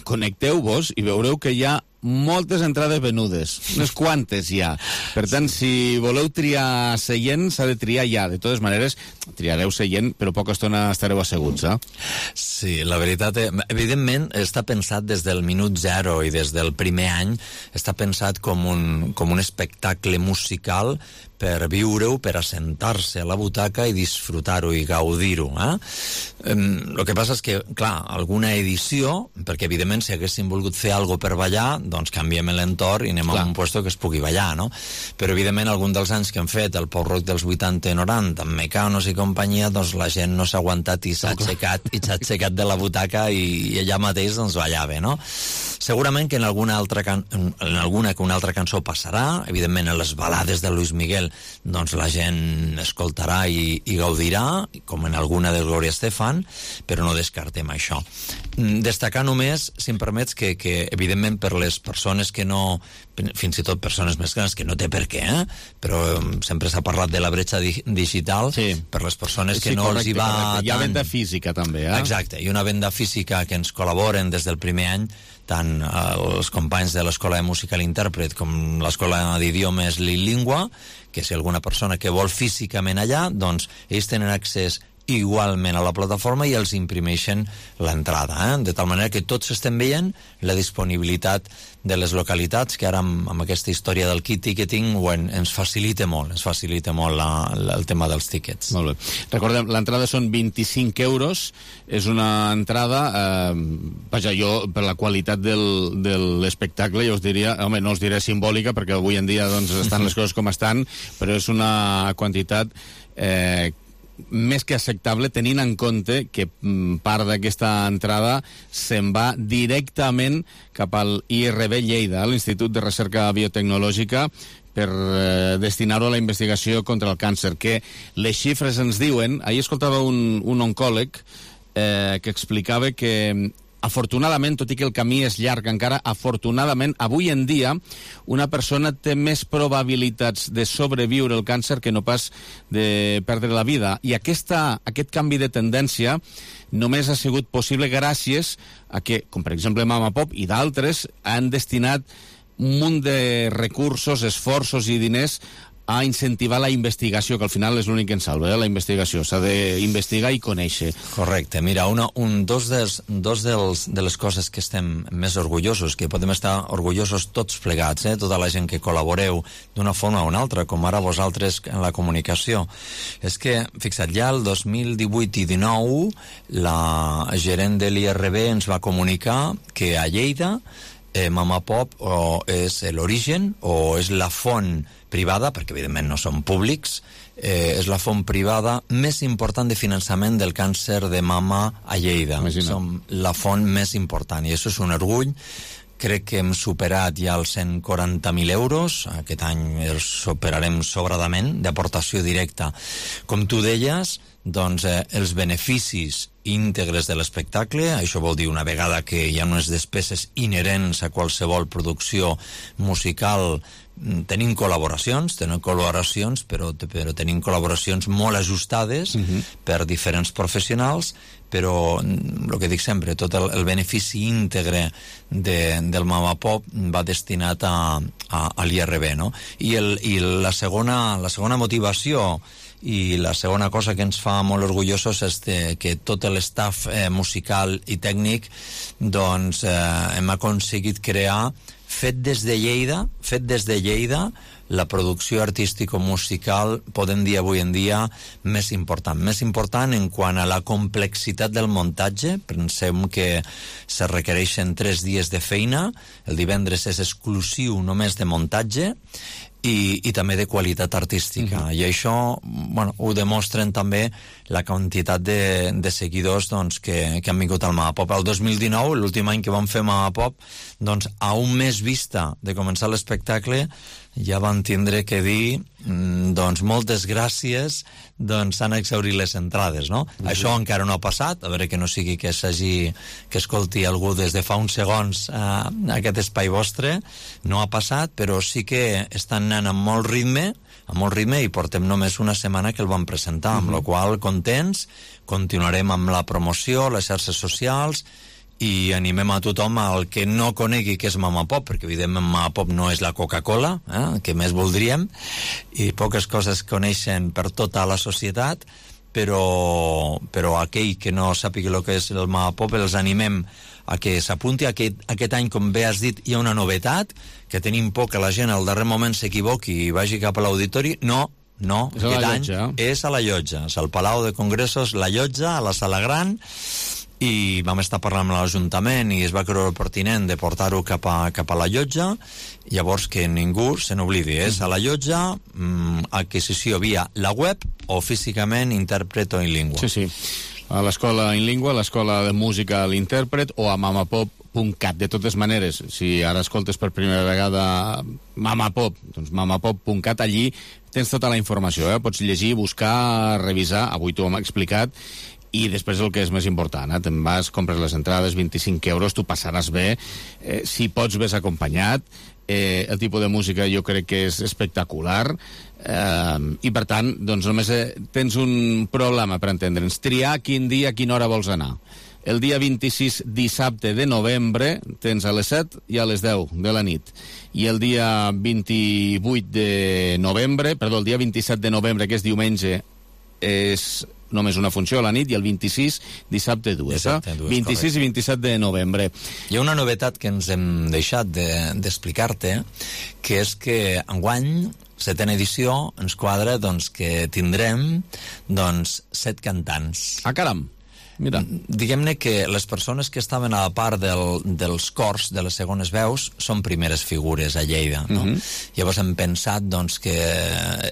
connecteu-vos i veureu que hi ha moltes entrades venudes, unes quantes ja. Per tant, si voleu triar seient, s'ha de triar ja. De totes maneres, triareu seient, però poca estona estareu asseguts, Sí, la veritat, evidentment, està pensat des del minut 0 i des del primer any, està pensat com un espectacle musical per viure-ho, per assentar-se a la butaca i disfrutar-ho i gaudir-ho. El que passa és que, clar, alguna edició, perquè evidentment si haguéssim volgut fer alguna per ballar, doncs canviem l'entorn i anem a un puesto que es pugui ballar, no? Però evidentment algun dels anys que hem fet el pop rock dels 80 i 90 amb Mecanos i companyia, doncs la gent no s'ha aguantat i s'ha aixecat de la butaca i allà mateix doncs ballava, no? Segurament que en alguna que una altra cançó passarà, evidentment en les balades de Luis Miguel doncs la gent escoltarà i gaudirà, com en alguna de Gloria Estefan, però no descartem això. Destacar només, si em permets, que evidentment per les persones que no, fins i tot persones més grans, que no té per què, però sempre s'ha parlat de la bretxa digital, per les persones que no els hi va tant. Hi ha venda física també, Exacte, i una venda física que ens col·laboren des del primer any, tant els companys de l'Escola de Música l'Intèrpret com l'Escola d'Idiomes Lingua, que si alguna persona que vol físicament allà, doncs ells tenen accés igualment a la plataforma i els imprimeixen l'entrada, de tal manera que tots estem veient la disponibilitat de les localitats, que ara amb aquesta història del kit ticketing ens facilita molt el tema dels tíquets. Molt bé. Recordem, l'entrada són 25 euros, és una entrada, vaja, jo per la qualitat de l'espectacle jo us diria, home, no us diré simbòlica perquè avui en dia doncs estan les coses com estan, però és una quantitat més que acceptable, tenint en compte que part d'aquesta entrada se'n va directament cap al IRB Lleida, l'Institut de Recerca Biotecnològica, per destinar-ho a la investigació contra el càncer, que les xifres ens diuen. Ahir escoltava un oncòleg que explicava que afortunadament, tot i que el camí és llarg encara, afortunadament, avui en dia, una persona té més probabilitats de sobreviure el càncer que no pas de perdre la vida. I aquest canvi de tendència només ha sigut possible gràcies a que, com per exemple Mama Pop i d'altres, han destinat un munt de recursos, esforços i diners a incentivar la investigació, que al final és l'únic que ens salva, la investigació. S'ha d'investigar i conèixer. Correcte. Mira, dos de les coses que estem més orgullosos, que podem estar orgullosos tots plegats, tota la gent que col·laboreu d'una forma o una altra, com ara vosaltres en la comunicació, és que, fixa't, ja el 2018 i 19 la gerent de l'IRB ens va comunicar que a Lleida Mama Pop és l'origen o és la font privada, perquè evidentment no són públics, és la font privada més important de finançament del càncer de mama a Lleida. Som la font més important i això és un orgull. Crec que hem superat ja els 140.000 euros, aquest any els superarem sobradament d'aportació directa. Com tu deies, doncs els beneficis íntegres de l'espectacle, això vol dir una vegada que hi ha unes despeses inherents a qualsevol producció musical, tenim col·laboracions, però tenim col·laboracions molt ajustades per diferents professionals, però el que dic sempre, tot el benefici íntegre del Mama Pop va destinat a l'IRB, no? I la segona motivació i la segona cosa que ens fa molt orgullosos és que tot l'estaf musical i tècnic doncs hem aconseguit crear, fet des de Lleida, la producció artístico-musical, podem dir avui en dia, més important en quant a la complexitat del muntatge. Pensem que se requereixen 3 dies de feina, el divendres és exclusiu només de muntatge, i també de qualitat artística. I això ho demostren també la quantitat de seguidors que han vingut al Mama Pop. El 2019, l'últim any que vam fer Mama Pop, doncs a un mes vista de començar l'espectacle ja van tindre que dir doncs moltes gràcies, doncs s'han exhaurit les entrades, no? Això encara no ha passat, a veure que no sigui que escolti algú des de fa uns segons aquest espai vostre, no ha passat, però sí que estan anant amb molt ritme i portem només una setmana que el vam presentar, amb la qual contents, continuarem amb la promoció, les xarxes socials, i animem a tothom al que no conegui què és Mama Pop, perquè evidentment Mama Pop no és la Coca-Cola, que més voldríem, i poques coses coneixen per tota la societat, però aquell que no sàpiga el que és el Mama Pop els animem a que s'apunti. Aquest any, com bé has dit, hi ha una novetat, que tenim por que la gent al darrer moment s'equivoqui i vagi cap a l'auditori. No, aquest any és a la Llotja, és al Palau de Congressos, la Llotja, a la Sala Gran, i vam estar parlant amb l'Ajuntament i es va creure pertinent de portar-ho cap a la Llotja. Llavors que ningú se n'oblidi, és a la Llotja, adquisició via la web o físicament intèrpret o in lingua. Sí, a l'escola in lingua, a l'escola de música a l'intèrpret o a mamapop.cat. De totes maneres, si ara escoltes per primera vegada Mamapop, doncs mamapop.cat, allí tens tota la informació, pots llegir, buscar, revisar, avui t'ho hem explicat. I després el que és més important, te'n vas, compres les entrades, 25 euros, tu passaràs bé, si pots ves acompanyat, el tipus de música jo crec que és espectacular, i per tant, doncs només tens un problema per entendre'ns, triar quin dia, a quina hora vols anar. El dia 26, dissabte de novembre, tens a les 7 i a les 10 de la nit. I el dia 28 de novembre, el dia 27 de novembre, que és diumenge, és només una funció a la nit, i el 26, dissabte, dues. 26 correcte. I 27 de novembre. Hi ha una novetat que ens hem deixat d'explicar-te, que és que enguany, 7a edició, ens quadra que tindrem 7 cantants. Ah, caram! Mira. Diguem-ne que les persones que estaven a la part dels cors, de les segones veus, són primeres figures a Lleida, no? Llavors hem pensat que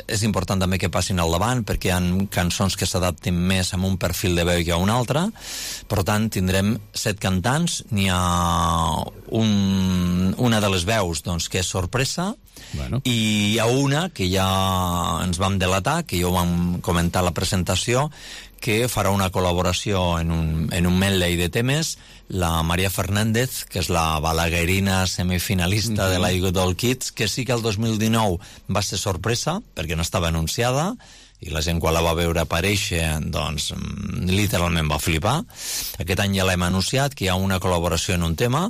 és important també que passin al davant, perquè hi ha cançons que s'adaptin més a un perfil de veu que a un altre. Per tant, tindrem 7 cantants. N'hi ha una de les veus que és sorpresa, i hi ha una que ja ens vam delatar, que ja ho vam comentar a la presentació, que farà una col·laboració en un medley de temes, la Maria Fernández, que és la balaguerina semifinalista de la Good Old Kids, que sí que el 2019 va ser sorpresa, perquè no estava anunciada, i la gent quan la va veure aparèixer, literalment va flipar. Aquest any ja l'hem anunciat, que hi ha una col·laboració en un tema,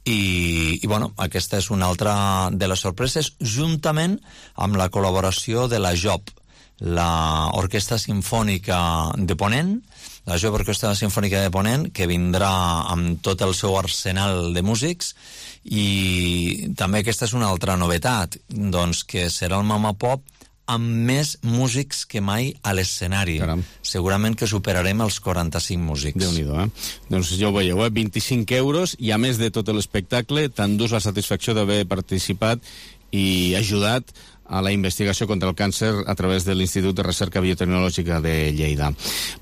i bueno, aquesta és una altra de les sorpreses, juntament amb la col·laboració de la JOP, l'Orquestra Simfònica de Ponent, la JOP Orquestra Simfònica de Ponent, que vindrà amb tot el seu arsenal de músics, i també aquesta és una altra novetat, doncs que serà el Mama Pop amb més músics que mai a l'escenari. Segurament que superarem els 45 músics. Déu-n'hi-do, Doncs ja ho veieu, 25 euros, i a més de tot l'espectacle, t'endús la satisfacció d'haver participat i ajudat a la investigació contra el càncer a través de l'Institut de Recerca Biotecnològica de Lleida.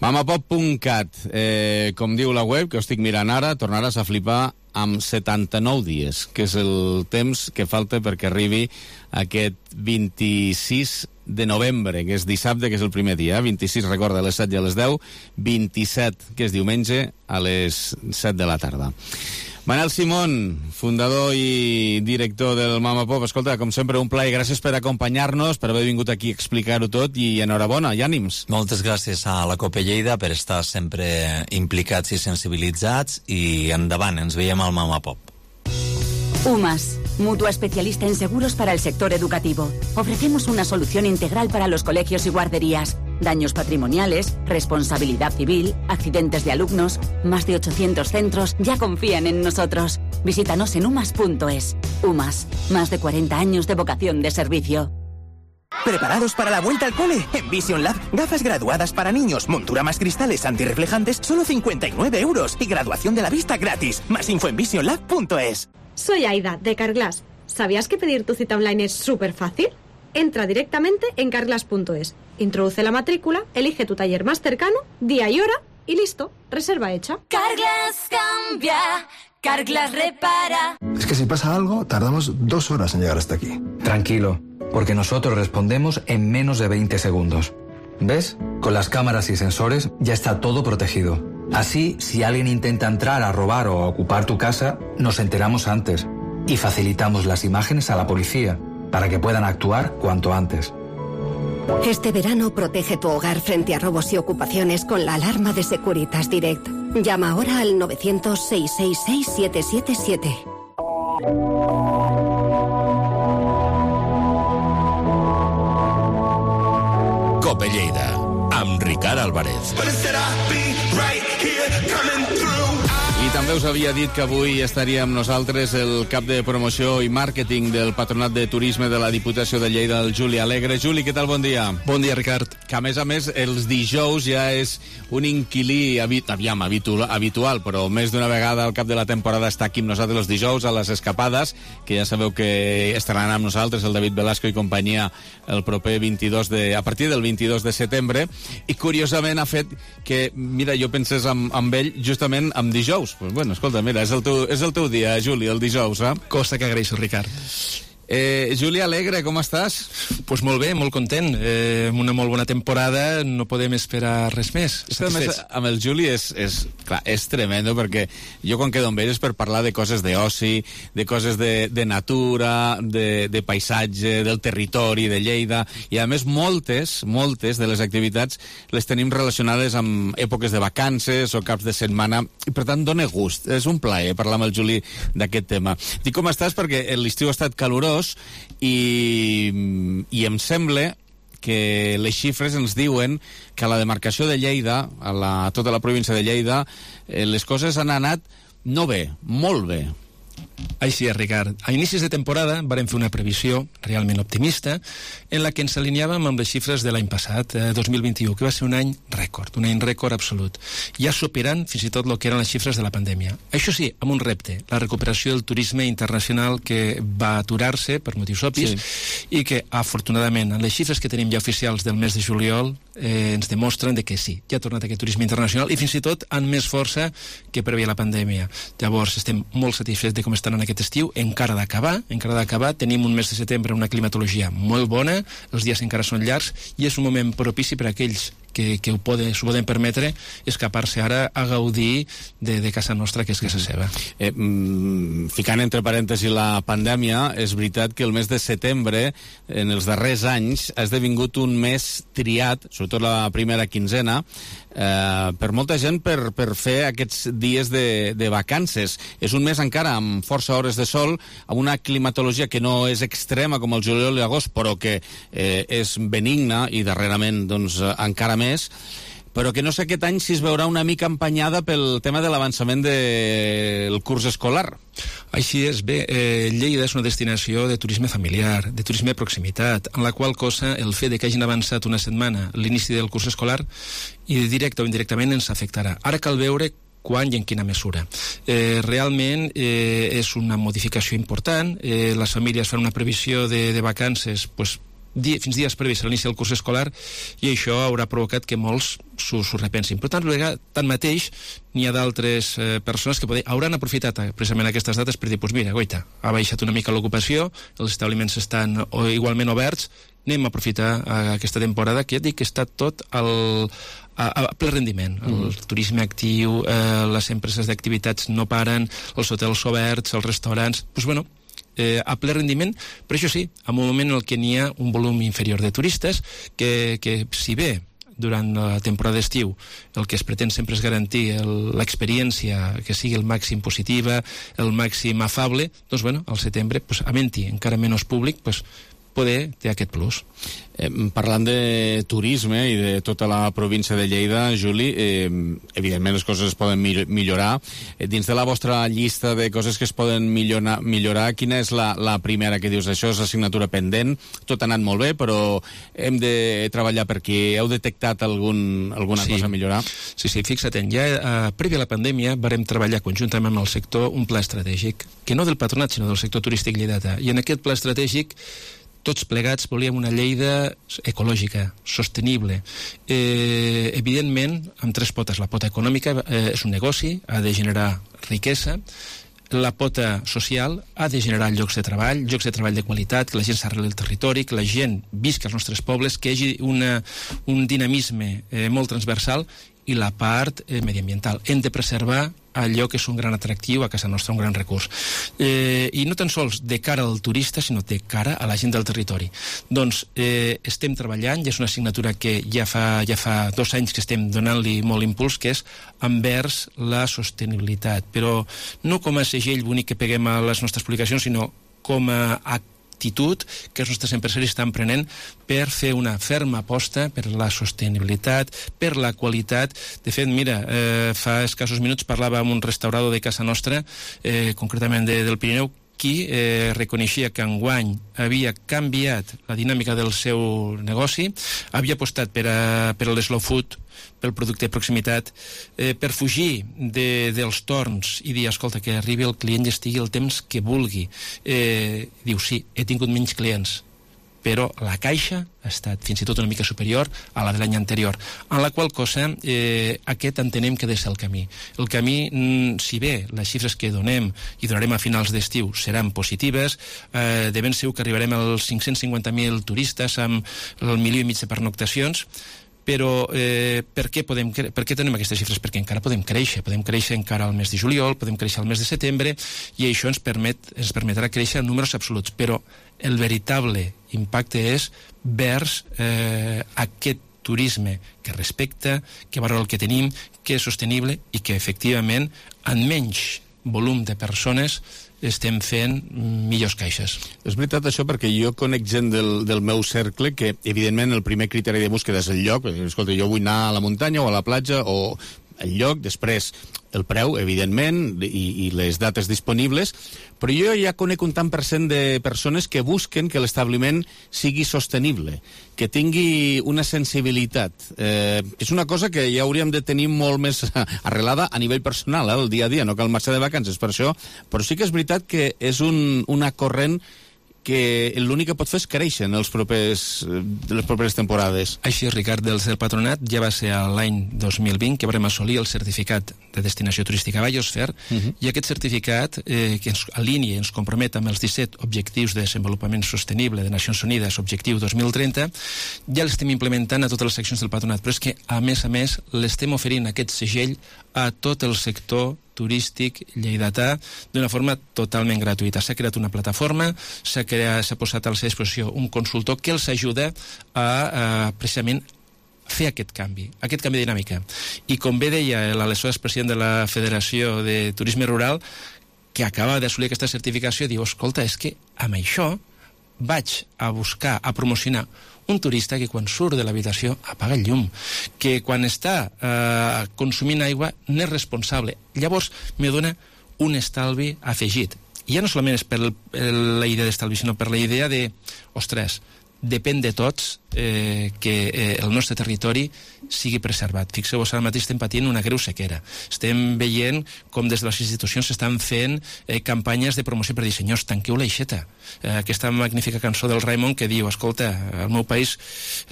Mamapop.cat, com diu la web, que ho estic mirant ara, tornaràs a flipar amb 79 dies, que és el temps que falta perquè arribi aquest 26 de novembre, que és dissabte, que és el primer dia. 26, recorda, a les 7 i a les 10. 27, que és diumenge, a les 7 de la tarda. Manel Simón, fundador i director del Mama Pop. Escolta, com sempre, un plaer. Gràcies per acompanyar-nos, per haver vingut aquí a explicar-ho tot, i enhorabona, i ànims. Moltes gràcies a la Copa Lleida per estar sempre implicats i sensibilitzats, i endavant, ens veiem al Mama Pop. UMAS, mutua especialista en seguros para el sector educativo. Ofrecemos una solución integral para los colegios y guarderías. Daños patrimoniales, responsabilidad civil, accidentes de alumnos. Más de 800 centros ya confían en nosotros. Visítanos en umas.es. UMAS, más de 40 años de vocación de servicio. ¿Preparados para la vuelta al cole? En Vision Lab, gafas graduadas para niños, montura más cristales antirreflejantes, solo 59 euros. Y graduación de la vista gratis. Más info en visionlab.es. Soy Aida, de Carglass. ¿Sabías que pedir tu cita online es súper fácil? Entra directamente en carglass.es, introduce la matrícula, elige tu taller más cercano, día y hora, y listo, reserva hecha. Carglass cambia, Carglass repara. Es que si pasa algo, tardamos 2 horas en llegar hasta aquí. Tranquilo, porque nosotros respondemos en menos de 20 segundos. ¿Ves? Con las cámaras y sensores ya está todo protegido. Así, si alguien intenta entrar a robar o a ocupar tu casa, nos enteramos antes y facilitamos las imágenes a la policía para que puedan actuar cuanto antes. Este verano protege tu hogar frente a robos y ocupaciones con la alarma de Securitas Direct. Llama ahora al 900-666-777. Cope Lleida, amb Ricard Álvarez. I també us havia dit que avui estaria amb nosaltres el cap de promoció i màrqueting del Patronat de Turisme de la Diputació de Lleida, el Juli Alegre. Juli, què tal? Bon dia. Bon dia, Ricard. Que a més, els dijous ja és un inquilí habitual, però més d'una vegada al cap de la temporada està aquí amb nosaltres els dijous a les escapades, que ja sabeu que estaran amb nosaltres el David Velasco i companyia el proper a partir del 22 de setembre, i curiosament ha fet que, mira, jo pensés amb ell justament amb dijous. Pues bueno, escolta, mira, és el teu dia, Juli, el dijous, Cosa que agraeixo, Ricard. Juli Alegre, com estàs? Pues molt bé, molt content. Amb una molt bona temporada, no podem esperar res més. Amb el Juli és tremendo, perquè jo quan quedo amb ell és per parlar de coses d'oci, de coses de natura, de paisatge, del territori de Lleida, i a més moltes de les activitats les tenim relacionades amb èpoques de vacances o caps de setmana, i per tant dona gust. És un plaer parlar amb el Juli d'aquest tema. Dic com estàs perquè l'estiu ha estat calorós, i em sembla que les xifres ens diuen que a la demarcació de Lleida, a tota la província de Lleida, les coses han anat no bé, molt bé. Així és, Ricard. A inicis de temporada vàrem fer una previsió realment optimista en la que ens alineàvem amb les xifres de l'any passat, 2021, que va ser un any rècord absolut, ja superant fins i tot el que eren les xifres de la pandèmia. Això sí, amb un repte, la recuperació del turisme internacional, que va aturar-se per motius obvis, i que, afortunadament, en les xifres que tenim ja oficials del mes de juliol, ens demostren que sí, ja ha tornat aquest turisme internacional, i fins i tot amb més força que preveia la pandèmia. Llavors, estem molt satisfets de com estan en aquest estiu, encara d'acabar, tenim un mes de setembre una climatologia molt bona, els dies encara són llargs, i és un moment propici per a aquells que s'ho poden permetre escapar-se ara a gaudir de casa nostra, que és casa seva. Ficant entre parèntesis la pandèmia, és veritat que el mes de setembre, en els darrers anys, ha esdevingut un mes triat, sobretot la primera quinzena, per molta gent per fer aquests dies de vacances. És un mes encara amb força hores de sol, amb una climatologia que no és extrema com el juliol i l'agost, però que és benigna i darrerament doncs, encara més, però que no sé aquest any si es veurà una mica empenyada pel tema de l'avançament del curs escolar. Així és. Bé, Lleida és una destinació de turisme familiar, de turisme de proximitat, en la qual cosa el fet de que hagin avançat una setmana l'inici del curs escolar i directe o indirectament ens afectarà. Ara cal veure quan i en quina mesura. Realment és una modificació important. Les famílies fan una previsió de vacances fins dies previs a l'inici del curs escolar i això haurà provocat que molts s'ho repensin. Però tanmateix n'hi ha d'altres persones que hauran aprofitat precisament aquestes dates per dir, mira, goita, ha baixat una mica l'ocupació, els establiments estan igualment oberts, anem a aprofitar aquesta temporada que ja dic que està tot a ple rendiment. El turisme actiu, les empreses d'activitats no paren, els hotels oberts, els restaurants, a ple rendiment, però això sí, en un moment en què n'hi ha un volum inferior de turistes, que si bé durant la temporada d'estiu el que es pretén sempre és garantir l'experiència que sigui el màxim positiva, el màxim afable, doncs al setembre, havent-hi encara menys públic, poder té aquest plus. Parlant de turisme i de tota la província de Lleida, Juli, evidentment les coses es poden millorar. Dins de la vostra llista de coses que es poden millorar, quina és la primera que dius? Això és assignatura pendent, tot ha anat molt bé, però hem de treballar per aquí. Heu detectat alguna cosa a millorar? Sí, fixa't, ja prèvia a la pandèmia varem treballar conjuntament amb el sector un pla estratègic, que no del patronat, sinó del sector turístic lleidatà. I en aquest pla estratègic tots plegats volíem una Lleida ecològica, sostenible. Evidentment, amb tres potes. La pota econòmica és un negoci, ha de generar riquesa. La pota social ha de generar llocs de treball de qualitat, que la gent s'arreli al territori, que la gent visca als nostres pobles, que hi hagi un dinamisme molt transversal, i la part mediambiental. Hem de preservar allò que és un gran atractiu a casa nostra, un gran recurs. I no tan sols de cara al turista, sinó de cara a la gent del territori. Doncs estem treballant, ja és una assignatura que ja fa 2 anys que estem donant-li molt impuls, que és envers la sostenibilitat, però no com a segell bonic que peguem a les nostres publicacions, sinó com a actitud que els nostres empresaris estan prenent per fer una ferma aposta per la sostenibilitat, per la qualitat. De fet, mira, fa escassos minuts parlava amb un restaurador de casa nostra, concretament del Pirineu, qui reconeixia que enguany havia canviat la dinàmica del seu negoci, havia apostat per l'slow food, pel producte de proximitat, per fugir dels torns i dir, escolta, que arribi el client i estigui el temps que vulgui. Diu, sí, he tingut menys clients, però la caixa ha estat fins i tot una mica superior a la de l'any anterior, en la qual cosa aquest entenem que ha de ser el camí. El camí, si bé les xifres que donem i donarem a finals d'estiu seran positives, de ben segur que arribarem als 550.000 turistes amb el 1,5 milió de pernoctacions, però per què tenim aquestes xifres? Perquè encara podem créixer encara al mes de juliol, podem créixer al mes de setembre, i això ens permetrà créixer en números absoluts, però el veritable impacte és vers aquest turisme que respecta, que valora el que tenim, que és sostenible i que efectivament en menys volum de persones estem fent millors caixes. És veritat això, perquè jo conec gent del meu cercle que, evidentment, el primer criteri de búsqueda és el lloc. Escolta, jo vull anar a la muntanya o a la platja o el lloc, després el preu, evidentment, i les dates disponibles, però jo ja conec un tant per cent de persones que busquen que l'establiment sigui sostenible, que tingui una sensibilitat. És una cosa que ja hauríem de tenir molt més arrelada a nivell personal, el dia a dia, no cal marxar de vacances per això, però sí que és veritat que és una corrent que l'únic que pot fer és créixer en les properes temporades. Així, Ricard, des del patronat ja va ser l'any 2020 que vam assolir el certificat de destinació turística Biosphere, i aquest certificat que ens alinea i ens compromet amb els 17 objectius de desenvolupament sostenible de Nacions Unides, objectiu 2030, ja l'estem implementant a totes les seccions del patronat, però és que, a més, l'estem oferint aquest segell a tot el sector turístic lleidatà d'una forma totalment gratuïta. S'ha creat una plataforma, s'ha posat a la seva disposició un consultor que els ajuda a precisament fer aquest canvi de dinàmica. I com bé deia l'aleshores president de la Federació de Turisme Rural, que acaba d'assolir aquesta certificació, diu, escolta, és que amb això vaig a buscar, a promocionar un turista que quan surt de l'habitació apaga el llum, que quan està consumint aigua n'és responsable. Llavors me dona un estalvi afegit. I ja no solament és per la idea d'estalvi, sinó per la idea de, ostres, depèn de tots que el nostre territori sigui preservat. Fixeu-vos, ara mateix estem patint una greu sequera. Estem veient com des de les institucions s'estan fent campanyes de promoció per dir, senyors, tanqueu l'aixeta. Aquesta magnífica cançó del Raimon que diu, escolta, al meu país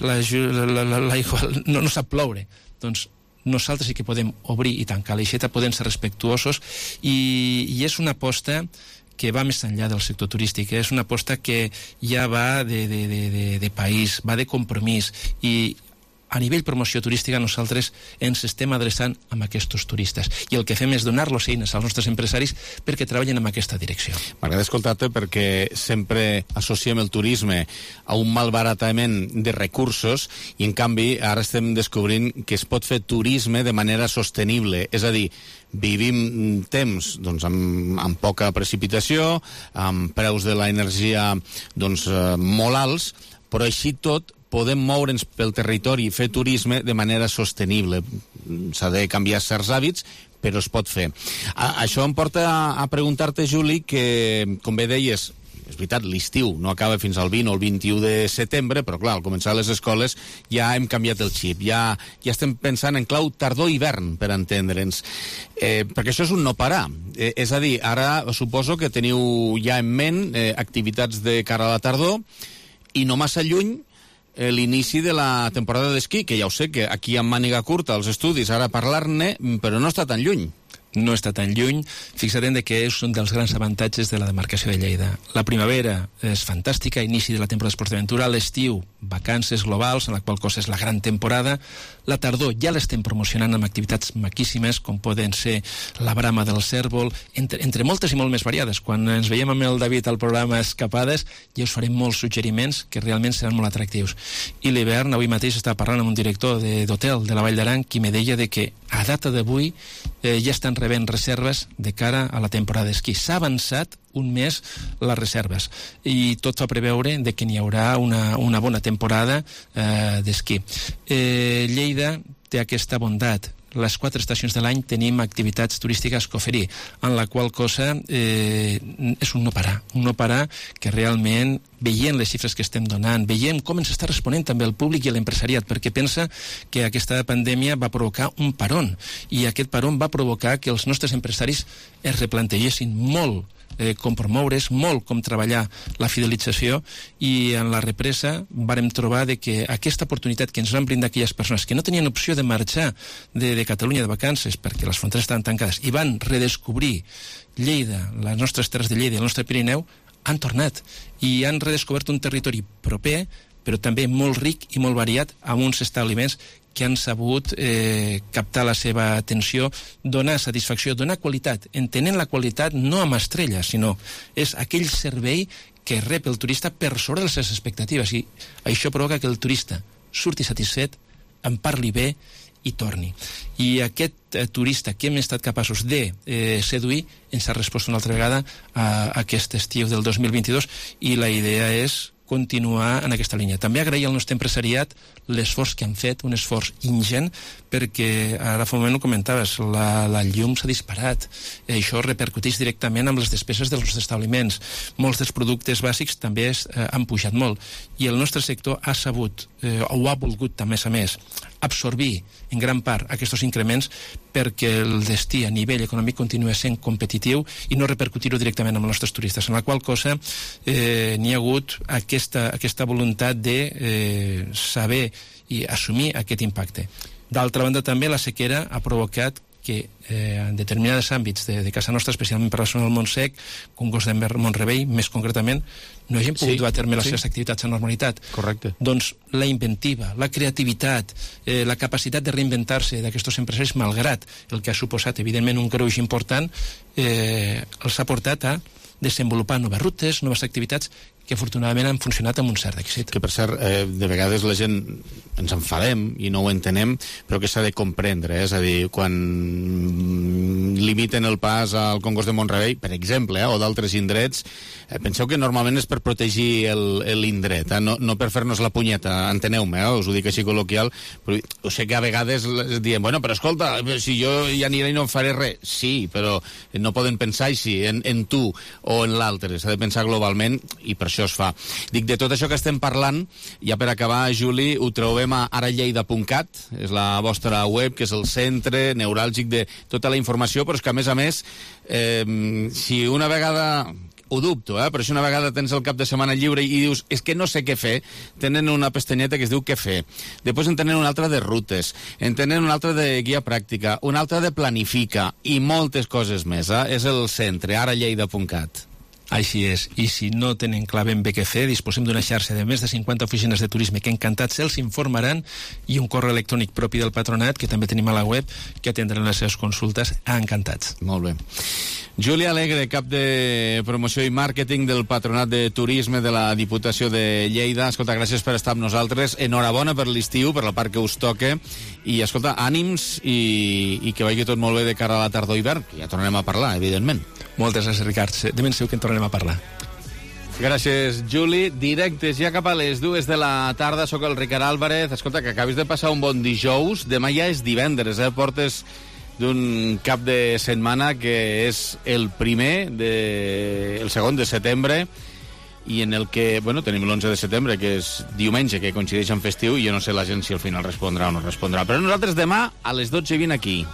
l'aigua no sap ploure. Doncs nosaltres sí que podem obrir i tancar l'aixeta, podem ser respectuosos i és una aposta que va més enllà del sector turístic, és una aposta que ja va de país, va de compromís, i a nivell promoció turística nosaltres ens estem adreçant amb aquests turistes i el que fem és donar-los eines als nostres empresaris perquè treballen en aquesta direcció. M'agrada escoltar-te perquè sempre associem el turisme a un malbaratament de recursos i en canvi ara estem descobrint que es pot fer turisme de manera sostenible, és a dir, vivim temps doncs, amb poca precipitació, amb preus de l'energia doncs, molt alts, però així tot podem moure'ns pel territori i fer turisme de manera sostenible. S'ha de canviar certs hàbits, però es pot fer. Això em porta a preguntar-te, Juli, que, com bé deies, és veritat, l'estiu no acaba fins al 20 o el 21 de setembre, però clar, al començar les escoles ja hem canviat el xip, ja estem pensant en clau tardor-hivern, per entendre'ns. Perquè això és un no parar. És a dir, ara suposo que teniu ja en ment activitats de cara a la tardor i no massa lluny l'inici de la temporada d'esquí, que ja ho sé, que aquí amb màniga curta els estudis ara parlar-ne, però no està tan lluny. No està tan lluny. Fixarem que és un dels grans avantatges de la demarcació de Lleida. La primavera és fantàstica, inici de la temporada d'esports d'aventura, l'estiu, vacances globals, en la qual cosa és la gran temporada. La tardor ja l'estem promocionant amb activitats maquíssimes, com poden ser la brama del cèrvol, entre moltes i molt més variades. Quan ens veiem amb el David al programa Escapades, ja us farem molts suggeriments que realment seran molt atractius. I l'hivern, avui mateix estava parlant amb un director d'hotel de la Vall d'Aran qui me deia que a data d'avui ja estan rebent reserves de cara a la temporada d'esquí. S'ha avançat un mes les reserves i tot fa preveure que n'hi haurà una bona temporada d'esquí. Lleida té aquesta bondat. Les 4 estacions de l'any tenim activitats turístiques que oferir, en la qual cosa és un no parar que realment, veient les xifres que estem donant, veient com ens està responent també el públic i l'empresariat, perquè pensa que aquesta pandèmia va provocar un paron, i aquest paron va provocar que els nostres empresaris es replantegessin molt com promoure's, molt com treballar la fidelització, i en la represa vàrem trobar que aquesta oportunitat que ens van brindar aquelles persones que no tenien opció de marxar de Catalunya de vacances perquè les fronteres estaven tancades i van redescobrir Lleida, les nostres terres de Lleida i el nostre Pirineu, han tornat i han redescobert un territori proper però també molt ric i molt variat, amb uns establiments que han sabut captar la seva atenció, donar satisfacció, donar qualitat, entenent la qualitat no amb estrelles, sinó és aquell servei que rep el turista per sobre de les seves expectatives, i això provoca que el turista surti satisfet, en parli bé i torni. I aquest turista que hem estat capaços de seduir ens ha respost una altra vegada a aquest estiu del 2022, i la idea és continuar en aquesta línia. També agrair al nostre empresariat l'esforç que han fet, un esforç ingent, perquè ara fa un moment ho comentaves, la llum s'ha disparat, això repercuteix directament amb les despeses dels nostres establiments. Molts dels productes bàsics també han pujat molt, i el nostre sector ha sabut, o ha volgut també a més, absorbir en gran part aquests increments perquè el destí a nivell econòmic continua sent competitiu i no repercutir-ho directament amb els nostres turistes, en la qual cosa n'hi ha hagut aquesta voluntat de saber i assumir aquest impacte. D'altra banda, també la sequera ha provocat que en determinats àmbits de casa nostra, especialment per la zona del Montsec, Congost de Mont-rebei, més concretament, no hagin pogut dur a terme les seves activitats a normalitat. Correcte. Doncs la inventiva, la creativitat, la capacitat de reinventar-se d'aquests empresaris, malgrat el que ha suposat, evidentment, un greuge important, els ha portat a desenvolupar noves rutes, noves activitats que afortunadament han funcionat amb un cert èxit. Que per cert, de vegades la gent ens enfadem i no ho entenem, però que s'ha de comprendre, és a dir, quan limiten el pas al Congost de Mont-rebei, per exemple, o d'altres indrets, penseu que normalment és per protegir l'indret, no per fer-nos la punyeta, enteneu-me, us ho dic així col·loquial, però ho sé que a vegades diem, bueno, però escolta, si jo ja aniré i no em faré res, sí, però no poden pensar així, en tu o en l'altre, s'ha de pensar globalment i per això es fa. Dic, de tot això que estem parlant, ja per acabar, Juli, ho trobem a aralleida.cat, és la vostra web, que és el centre neuràlgic de tota la informació, però és que a més, si una vegada... Ho dubto, però si una vegada tens el cap de setmana lliure i dius, és que no sé què fer, tenen una pestanyeta que es diu què fer. Després en tenen una altra de rutes, en tenen una altra de guia pràctica, una altra de planifica i moltes coses més. És el centre, aralleida.cat. Així és, i si no tenen clar ben bé què fer, disposem d'una xarxa de més de 50 oficines de turisme que encantats els informaran i un correu electrònic propi del patronat, que també tenim a la web, que atendran les seves consultes encantats. Molt bé. Júlia Alegre, cap de promoció i màrqueting del Patronat de Turisme de la Diputació de Lleida. Escolta, gràcies per estar amb nosaltres. Enhorabona per l'estiu, per la part que us toca. I, escolta, ànims i que vagi tot molt bé de cara a la tardor-hivern, que ja tornarem a parlar, evidentment. Moltes gràcies, Ricard. De ben segur que en tornarem a parlar. Gràcies, Juli. Directes ja cap a les 2 de la tarda. Soc el Ricard Álvarez. Escolta, que acabis de passar un bon dijous. Demà ja és divendres, Portes d'un cap de setmana que és el segon de setembre i en el que, tenim l'11 de setembre, que és diumenge, que coincideix amb festiu, i jo no sé la gent si al final respondrà o no respondrà. Però nosaltres demà a les 12:20 aquí.